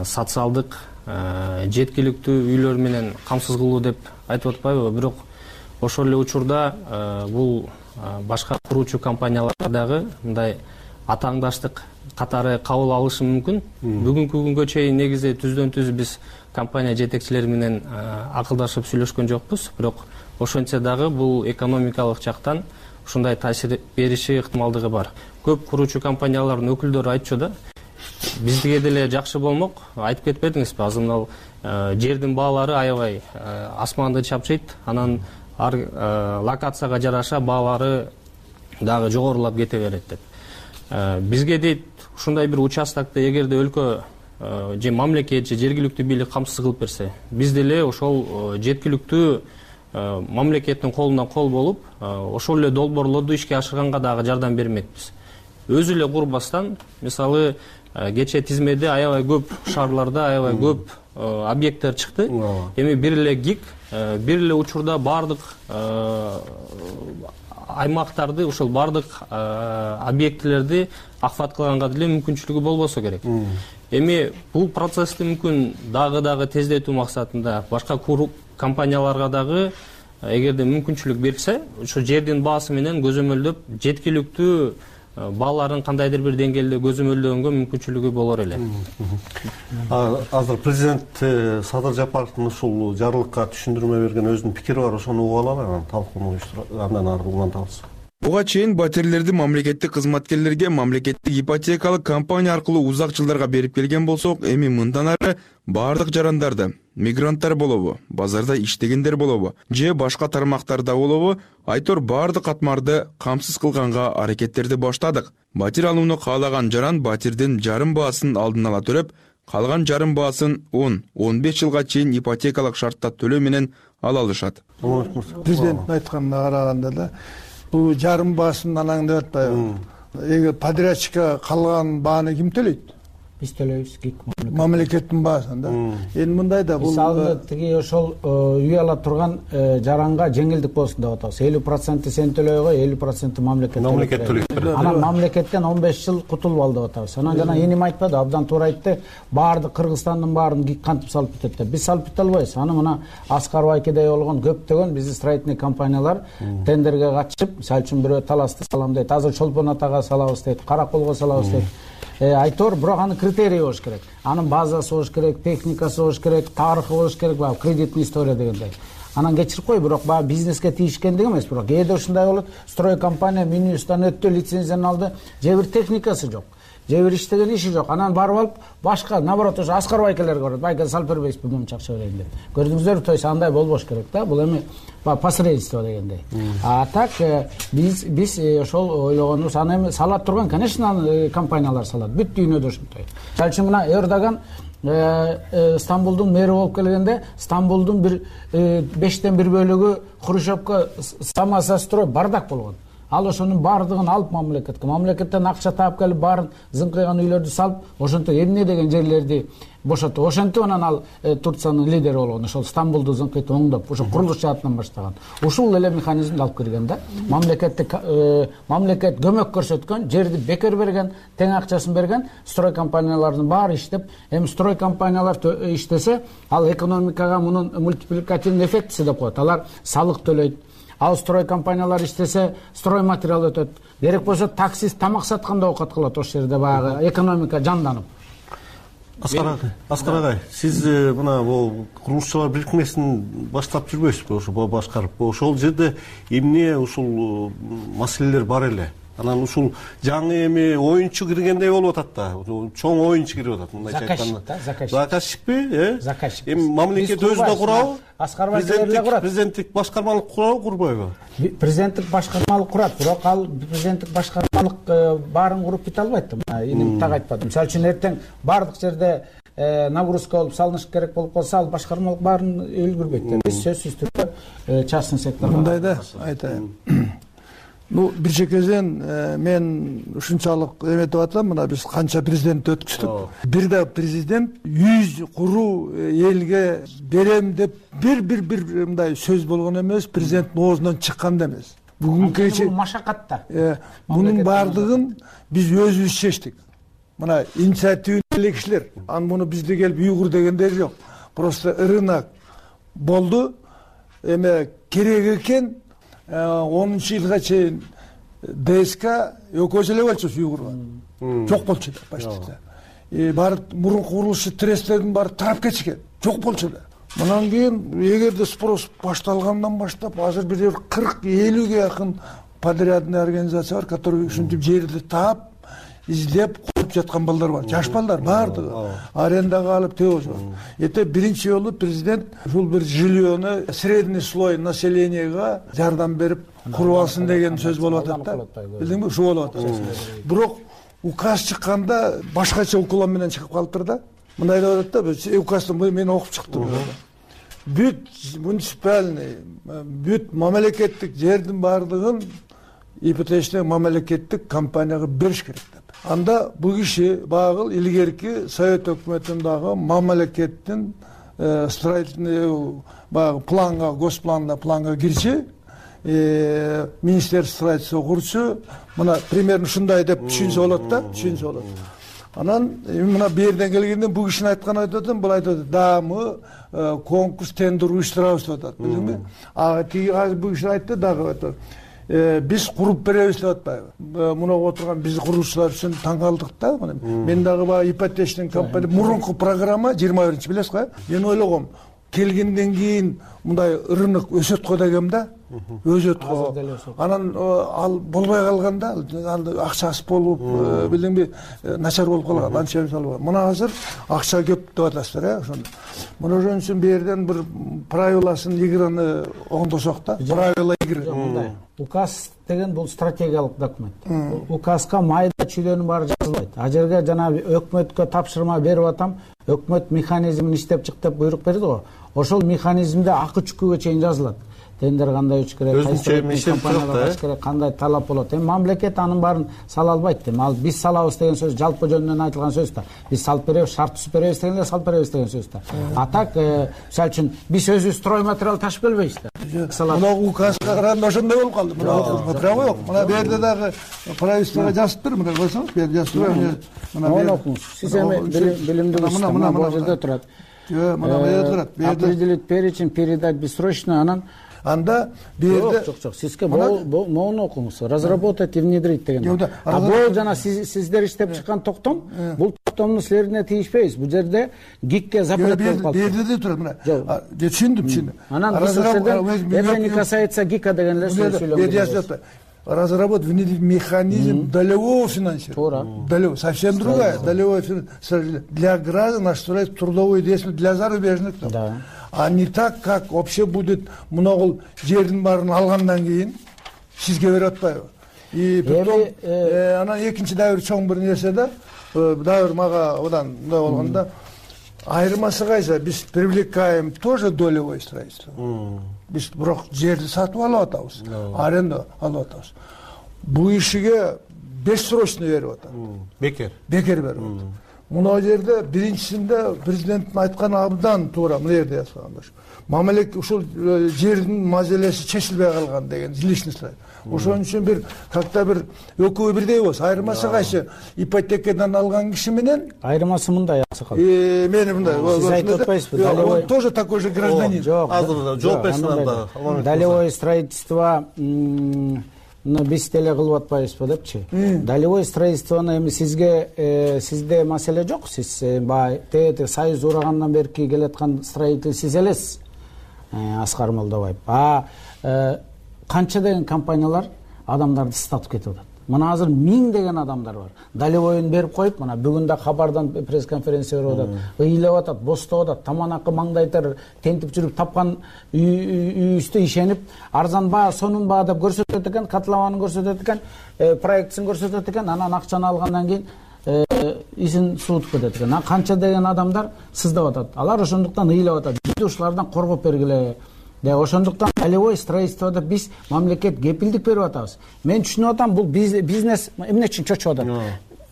социалдык жеткиликтүү үйлөр менен камсыз кылуу деп айтып атпайбы? Бирок ошол эле учурда бул башка куруучу компанияларга дагы мындай атааңдаштык катары кабыл алышы мүмкүн. Бүгүнкү күнгө чейин негизи түздөн түз биз компания жетекчилери менен акылдашып сүйлөшкөн жокпуз. Бирок ошентсе дагы бул экономикалык жактан ушундай таасир бериши ыктымалдыгы бар. Көп куруучу компаниялардын өкүлдөрү айтчу да, биздиге деле жакшы болмок. Айтып кетпедиңизби? Азыр мына жердин баалары аябай асманды чапчыйт, анан ар локацияга жараша баалары дагы жогорулап кете берет деп. Бизге дейт, ушундай бир участокты эгерде өлкө же мамлекет же жергиликтүү бийлик камсыз кылып берсе, биз деле ошол жеткиликтүү мамлекеттин колунан кол болуп, ошол эле долбоорлорду ишке ашырганга дагы жардам бермекпиз. Өзү эле курбастан, мисалы, кечээ тизмеде аябай көп шаарларда аябай көп объекттер чыкты. Эми бир эле ГИК, бир эле учурда бардык аймактарды, ошол бардык объектлерди ахват кылганга деле мүмкүнчүлүгү болбосо керек. Эми бул процессти мүмкүн дагы тездетүү максатында башка компанияларга дагы эгерде мүмкүнчүлүк берсе, ошо жердин баасы менен көзөмөлдөп, жеткиликтүү бааларын кандайдыр бир деңгээлде көзөмөлдөгөнгө мүмкүнчүлүгү болор эле. Азыр президент Садыр Жапаровдун ушул жарлыкка түшүндүрмө берген өзүнүн пикири бар, ошону угуп алалы, анан талкууну андан ары улантабыз. Буга чейин батирлерди мамлекеттик кызматкерлерге мамлекеттик ипотекалык компания аркылуу узак жылдарга берип келген болсок, эми мындан ары бардык жарандарды, мигранттар болобу, базарда иштегендер болобу, же башка тармактарда болобу, Айтор бардык катмарды камсыз кылганга аракеттерди баштадык. Батир алууну каалаган жаран батирдин жарым баасын алдын ала төлөп, калган жарым баасын 10-15 жылга чейин ипотекалык шартта төлөө менен ала алышат. Президенттин айтканына караганда да бул жарым баасын анан деп атпайбы? Эгер подрядчикке калган бааны ким төлөйт? Биз төлөйбүз, ГИК мамлекеттин баасын да. Эми мындай да бул мисалы тиги ошол үй ала турган жаранга жеңилдик болсун деп атабыз. 50% сен төлөйгө, 50% мамлекет төлөйт. Анан мамлекеттен 15 жыл кутулуп ал деп атабыз. Анан жана эним айтпады, абдан туура айтты. Баардык Кыргызстандын баарын ГИК кантип салып кетет деп. Биз салып кете албайбыз. Аны мына Аскар Байкедей болгон көптөгөн биздин строительный компаниялар тендерге катышып, мисалы үчүн бирөө таласты салам дейт. Азыр Чолпон Атага салабыз дейт, Караколго салабыз дейт. Айтор, бирок анын критерии болуш керек. Анын базасы болуш керек, техникасы болуш керек, тарыхы болуш керек, баягы кредитный история дегендей. Анан кечирип кой, бирок баягы бизнеске тийишкендиги эмес, бирок кээде ушундай болот. Строй компания Минюстан өттү, лицензияны алды, же бир техникасы жок. же бир иштеген иши жок, анан барып алып башка наоборот ошо аскар байкелерге барат. Байке салып бербейсизби мынча акча берейин деп. Көрдүңүздөрбү, то есть андай болбош керек да. Бул эми посредничество дегендей. А так биз ошол ойлогонубуз, аны эми салат турган, конечно, компаниялар салат. Бүт дүйнөдө ошонтой. Мисалы үчүн мына Эрдоган Стамбулдун мэри болуп келгенде, Стамбулдун бир 5тен 1 бөлүгү Хрущевка самосострой бардак болгон. Ал ошонун баардыгын алып мамлекеттен акча таап келип, баарын зыңкыйган үйлөрдү салып, ошентип эмне деген жерлерди бошотуп, ошентип анан ал Турциянын лидери болгон. Ошол Стамбулду зыңкыйтып оңдоп, ошо курулуш жаатынан баштаган. Ушул эле механизмди алып кирген да. Мамлекет көмөк көрсөткөн, жерди бекер берген, тең акчасын берген, строй компаниялардын баары иштеп, эми строй компаниялар иштесе, ал экономикага мунун мультипликативный эффектиси деп коет. Алар салык төлөйт. Ал строй компаниялар иштесе, строй материал өтөт. Керек болсо таксист тамак сатканда оокат кылат, ошол жерде баягы экономика жанданып. Аскар агай, сиз мына бул курулушчулар бирикмесин баштап жүрбөйсүзбү, ошо башкарып? Ошол жерде эмне ушул маселелер бар эле? Анан ушул жаңы эми оюнчу киргендей болуп атат да. Чоң оюнчу кирип атат, мындайча айтканда. Заказчикпи? Заказчик. Эми мамлекет өзү да курабы? Аскар Байкелер курат. Президенттик башкармалык курабы, курбайбы? Президенттик башкармалык курат, бирок ал президенттик башкармалык баарын куруп кете албайт да. Иним так айтпадым. Мисалы үчүн эртең бардык жерде нагрузка болуп салыныш керек болуп калса, ал башкармалык баарын үлгүрбөйт. Биз сөзсүз түрдө частный секторго мындай да айтайын. Бир чекеден мен ушунчалык эметип атам, мына биз канча президент өткүздүк. Бир да президент 100 куру элге берем деп бир мындай сөз болгон эмес, президенттин оозунан чыккан да эмес. Бүгүнкү бул машакатта. Мунун баардыгын биз өзүбүз чечтик. Мына инициативный эле кишилер, анан муну бизде келип уйгур дегендер жок. Просто рынок болду. Эме керек экен 10-жылга чейин ДСК экөөсү эле болчу уйгурга. Жок болчу да баштыкта. Баары мурунку курулушу тресттердин баары тарап кетишкен. Жок болчу да. Мындан кийин эгерде спрос башталгандан баштап азыр бир 40-50ге жакын подрядный организация бар, которые ушинтип жерди таап, издеп куруп жаткан балдар бар. Жаш балдар баардыгы арендага алып тебөзүп. Биринчи жолу президент ушул бир жильону средний слой населенияга жардам берип куруп алсын деген сөз болуп атат да. Билдиңби? Ушул болуп атат. Бирок указ чыкканда башкача уклон менен чыгып калыптыр да. Мындай деп атат да, указды мен окуп чыктым. Бүт муниципальный, бүт мамлекеттик жердин баардыгын ипотечный мамлекеттик компанияга бериш керек деп. Анда бул киши багыл илгерки Совет өкмөтүндөгү мамлекеттин строительный багы планга, госпланда планга кирчи, министерство строительства курчу, мына примерно ушундай деп түшүнсө болот да, түшүнсө болот. Анан мына бу жерден келгенде бул кишинин айтканы айтып атам, бул айтып атат, дагы конкурс тендер уюштурабыз деп атат, билдиңби? Тиги азыр бул киши айтты дагы айтат. Биз куруп беребиз деп атпайбы? Мына отурган биз курушчулар үчүн таң калдык да. Мен дагы баягы ипотечный компания мурунку программа 21-чи билесиз го? Мен ойлогом, келгенден кийин мындай рынок өсөт го дегем да. Өсөт го. Анан ал болбой калганда, акчасы болуп, билдиңби, начар болуп калган. Анча мисалы. Мына азыр акча көп деп атасыздар, ошондо. Мына ошон үчүн бу жерден бир правиласын играны оңдосок да. Правила игры. Указ деген бул стратегиялык документ. Указга майда чүйдөнүн баары жазылбайт. А жерге жанагы өкмөткө тапшырма берип атам, өкмөт механизмин иштеп чык деп буйрук берди го. Ошол механизмде акы чүкүүгө чейин жазылат. Тендер кандай өчүш керек, кандай талап болот. Эми мамлекет анын баарын сала албайт. Ал биз салабыз деген сөз жалпы жөнүнөн айтылган сөз да. Биз салып беребиз, шарт түзүп беребиз дегенде салып беребиз деген сөз да. А так, мисалы үчүн биз өзүбүз строй материал ташып келбейбиз да. Мына указга караганда ошондой болуп калды. Прямо жок. Мына бу жерде дагы правительствого жазыптыр, мына көрсөңүз, бу жерде жазып Мына окуңуз. Сиз эми билимдүүсүз. Мына бул жерде турат. Мына бу жерде турат. Определить перечень, передать бессрочно, анан анда бу жерде жок, сизге моуну окуңуз. Разработать и внедрить деген. А бул жана сиздер иштеп чыккан токтом, бул токтомду силердине тийишпейбиз. Бул жерде ГИКке запрет болуп калды. Бу жерде турат, мына. Түшүндүм. Анан бул жерде это не касается ГИКа деген эле сөз сүйлөп. разработать, внедрить механизм долевого финансирования. Долевого, совсем другая. Долевое финансирование для граждан осуществляет трудовую деятельность для зарубежных. А не так, как вообще будет много жердин барын алгандан кийин сизге берип атпайбы. И потом анан экинчи дагы бир чоң бир нерсе да, дагы мага одан мындай болгондо айырмасы кайсы? Биз привлекаем тоже долевое строительство. Биз бирок жерди сатып алып атабыз, аренда алып атабыз. Бул ишиге бессрочно берип атат. Бекер берип атат. Мына жерде биринчисинде президенттин айтканы абдан туура. Мына жерде жазган. Мамлекет ушул жердин маселеси чечилбей калган деген жилищный строительство. Ошон үчүн бир как-то бир экөө бирдей болсо, айырмасы кайсы? Ипотекадан алган киши менен айырмасы мындай аксакал. Мени мындай. Сиз айтып атпайсызбы? Он тоже такой же гражданин. Азыр жооп берсин анда. Долевое строительство биз деле кылып атпайбызбы депчи. Долевое строительствону эми сизде маселе жок. Сиз баягы союз урагандан берки келаткан строитель сиз элесиз, Аскар Молдобаев. Канча деген компаниялар адамдарды сатып кетип атат. Мына азыр 1000 деген адамдар бар. Долевойун берип коюп, мына бүгүн да кабардан пресс-конференция берип атат. Ыйлап атат, бостоп атат, таманакы маңдайтыр тентип жүрүп тапкан үйүстө ишенип, арзан баа, сонун баа деп көрсөтөт экен, катламанын көрсөтөт экен, проектсин көрсөтөт экен, анан акчаны алгандан кийин исин суутуп кетет экен. Канча деген адамдар сыздап атат. Алар ошондуктан ыйлап атат. Бизди ушулардан коргоп бергиле. Ошондуктан долевое строительстводо биз мамлекет кепилдик берип атабыз. Мен түшүнүп атам, бул бизнес эмне үчүн чочуп атат?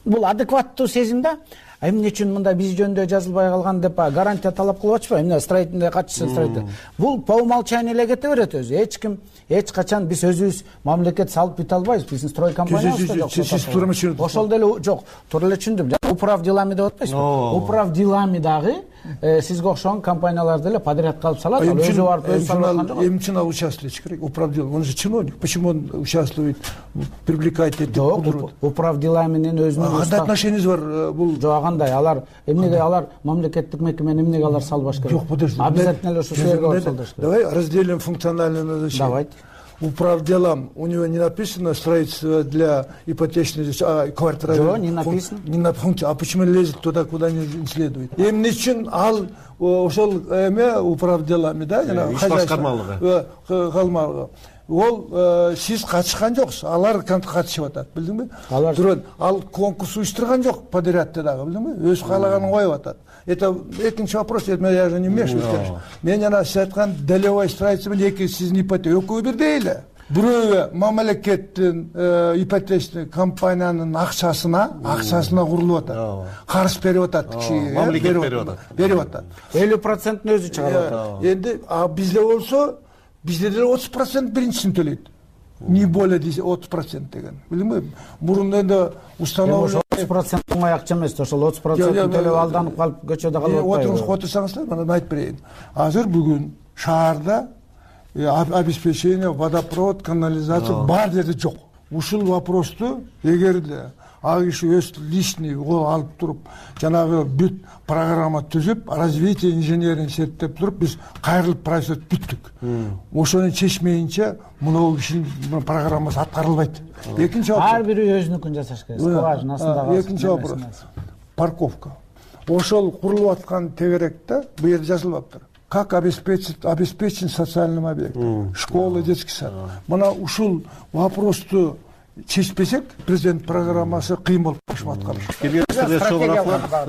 Бул адекваттуу сезим да. Эмне үчүн мындай биз жөнүндө жазылбай калган деп гарантия талап кылып атышпайбы? Эмне строительный катчысы строитель. Бул по умолчанию эле кете берет өзү. Эч ким эч качан биз өзүбүз мамлекет салып бите албайбыз. Биздин строй компаниябызда жок. Ошол деле жок. Туура эле түшүндүм. Управ делами деп атпайсызбы? Управ делами дагы сизге окшогон компаниялар деле подрядка алып салат. Өзү барып өзү салат. Эми чын ал участвовать керек. Управ дел, он же чиновник. Почему он участвует, привлекает этих? Управ делами менен өзүнүн кандай отношениеси бар бул? Жок, андай алар эмнеге алар мамлекеттик мекемени эмнеге алар салбаш керек? Жок, подожди. Обязательно эле ошол жерге барып салдырыш керек. Давай разделим функциональное назначение. Давайте. Управделам у него не написано строительство для ипотечной квартиры. Жок, не написано. Не на функцию. А почему лезет туда, куда не следует? Эмне үчүн ал ошол эме управделами, да, жана хозяйство калмалыгы. Ол сиз катышкан жоксуз, алар катышып атат, билдиңби? Ал конкурс уюштурган жок подрядты дагы, билдиңби? Өз каалаганын коюп атат. Это экинчи вопрос, я же не вмешиваюсь. Мен жана сиз айткан долевое строительство менен эки сиздин ипотека экөө бирдей эле. Бирөө мамлекеттин ипотечный компаниянын акчасына курулуп атат. Карыз берип атат кишиге. Мамлекет берип атат. 50% өзү чыгарып атат. Энди бизде болсо, бизде деле 30% биринчисин төлөйт. Не более 30% деген. Билдиңби? Мурун энди установление 30% оңой акча эмес, ошол 30% төлөп алданып калып көчөдө калып атпайбы? Отурсаңыздар, мына айтып берейин. Азыр бүгүн шаарда обеспечение, водопровод, канализация бар жерде жок. Ушул вопросту эгерде ал киши өз личный кол алып туруп, жанагы бүт программа түзүп, развитие инженерин сеттеп туруп, биз кайрылып проект бүттүк. Ошону чечмейинче мына кишинин программасы аткарылбайт. Экинчи вопрос. Ар бири өзүнүкүн жасаш керек. Скважин астындагы. Экинчи вопрос. Парковка. Ошол курулуп аткан тегеректе бу жерде жазылбаптыр. Как обеспечен социальным объектом? Школа, детский сад. Мына ушул вопросту чечпесек, президент программасы кыйын болуп калышы аткарыш. Келгениңизге чоң рахмат.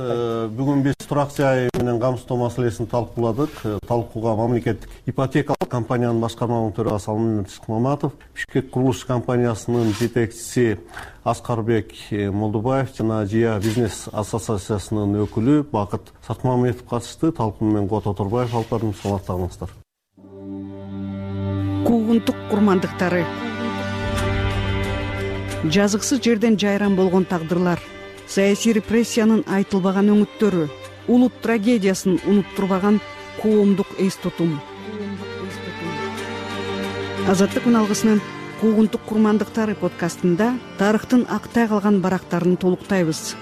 Бүгүн биз турак жай менен камсыздоо маселесин талкууладык. Талкууга мамлекеттик ипотекалык компаниянын башкарма төрагасы Алмамет Маматов, Бишкек курулуш компаниясынын жетекчиси Аскарбек Молдобаев жана Жия бизнес ассоциациясынын өкүлү Бакыт Сатмамбетов катышты. Талкуу менен Кот Оторбаев алып бардым. Саламатта калыңыздар. Куугунтук курмандыктары, жазыксыз жерден жайран болгон тагдырлар, саясий репрессиянын айтылбаган өңүттөрү, улут трагедиясын унуттурбаган коомдук эс тутум. Азаттык үналгысынын Куугунтук курмандыктары подкастында тарыхтын актай калган барактарын толуктайбыз.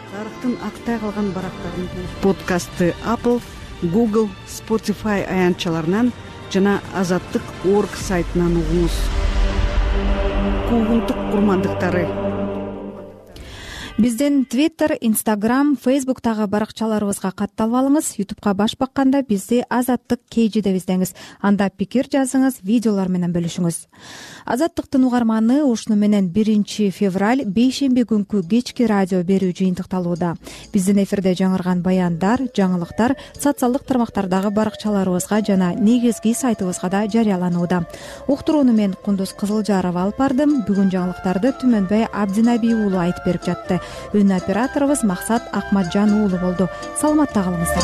Подкастты Apple, Google, Spotify аянтчаларынан жана Азаттык.org сайтынан угуңуз. коомдук курмандыктары. Биздин Twitter, Instagram, Facebook'тагы баракчаларыбызга катталып алыңыз. YouTube'га баш бакканда бизди Азаттык KG деп издеңиз. Анда пикир жазыңыз, видеолор менен бөлүшүңүз. Азаттыктын угарманы ушуну менен 1 февраль бейшемби күнкү кечки радио берүү жыйынтыкталууда. Биздин эфирде жаңырган баяндар, жаңылыктар социалдык тармактардагы баракчаларыбызга жана негизги сайтыбызга да жарыяланууда. Уктурууну мен Кундуз Кызылжарова алып бардым. Бүгүн жаңылыктарды Түмөнбай Абдинаби уулу айтып берип жатты. Өн операторубуз Максат Акматжан уулу болду. Саламатта калыңыздар.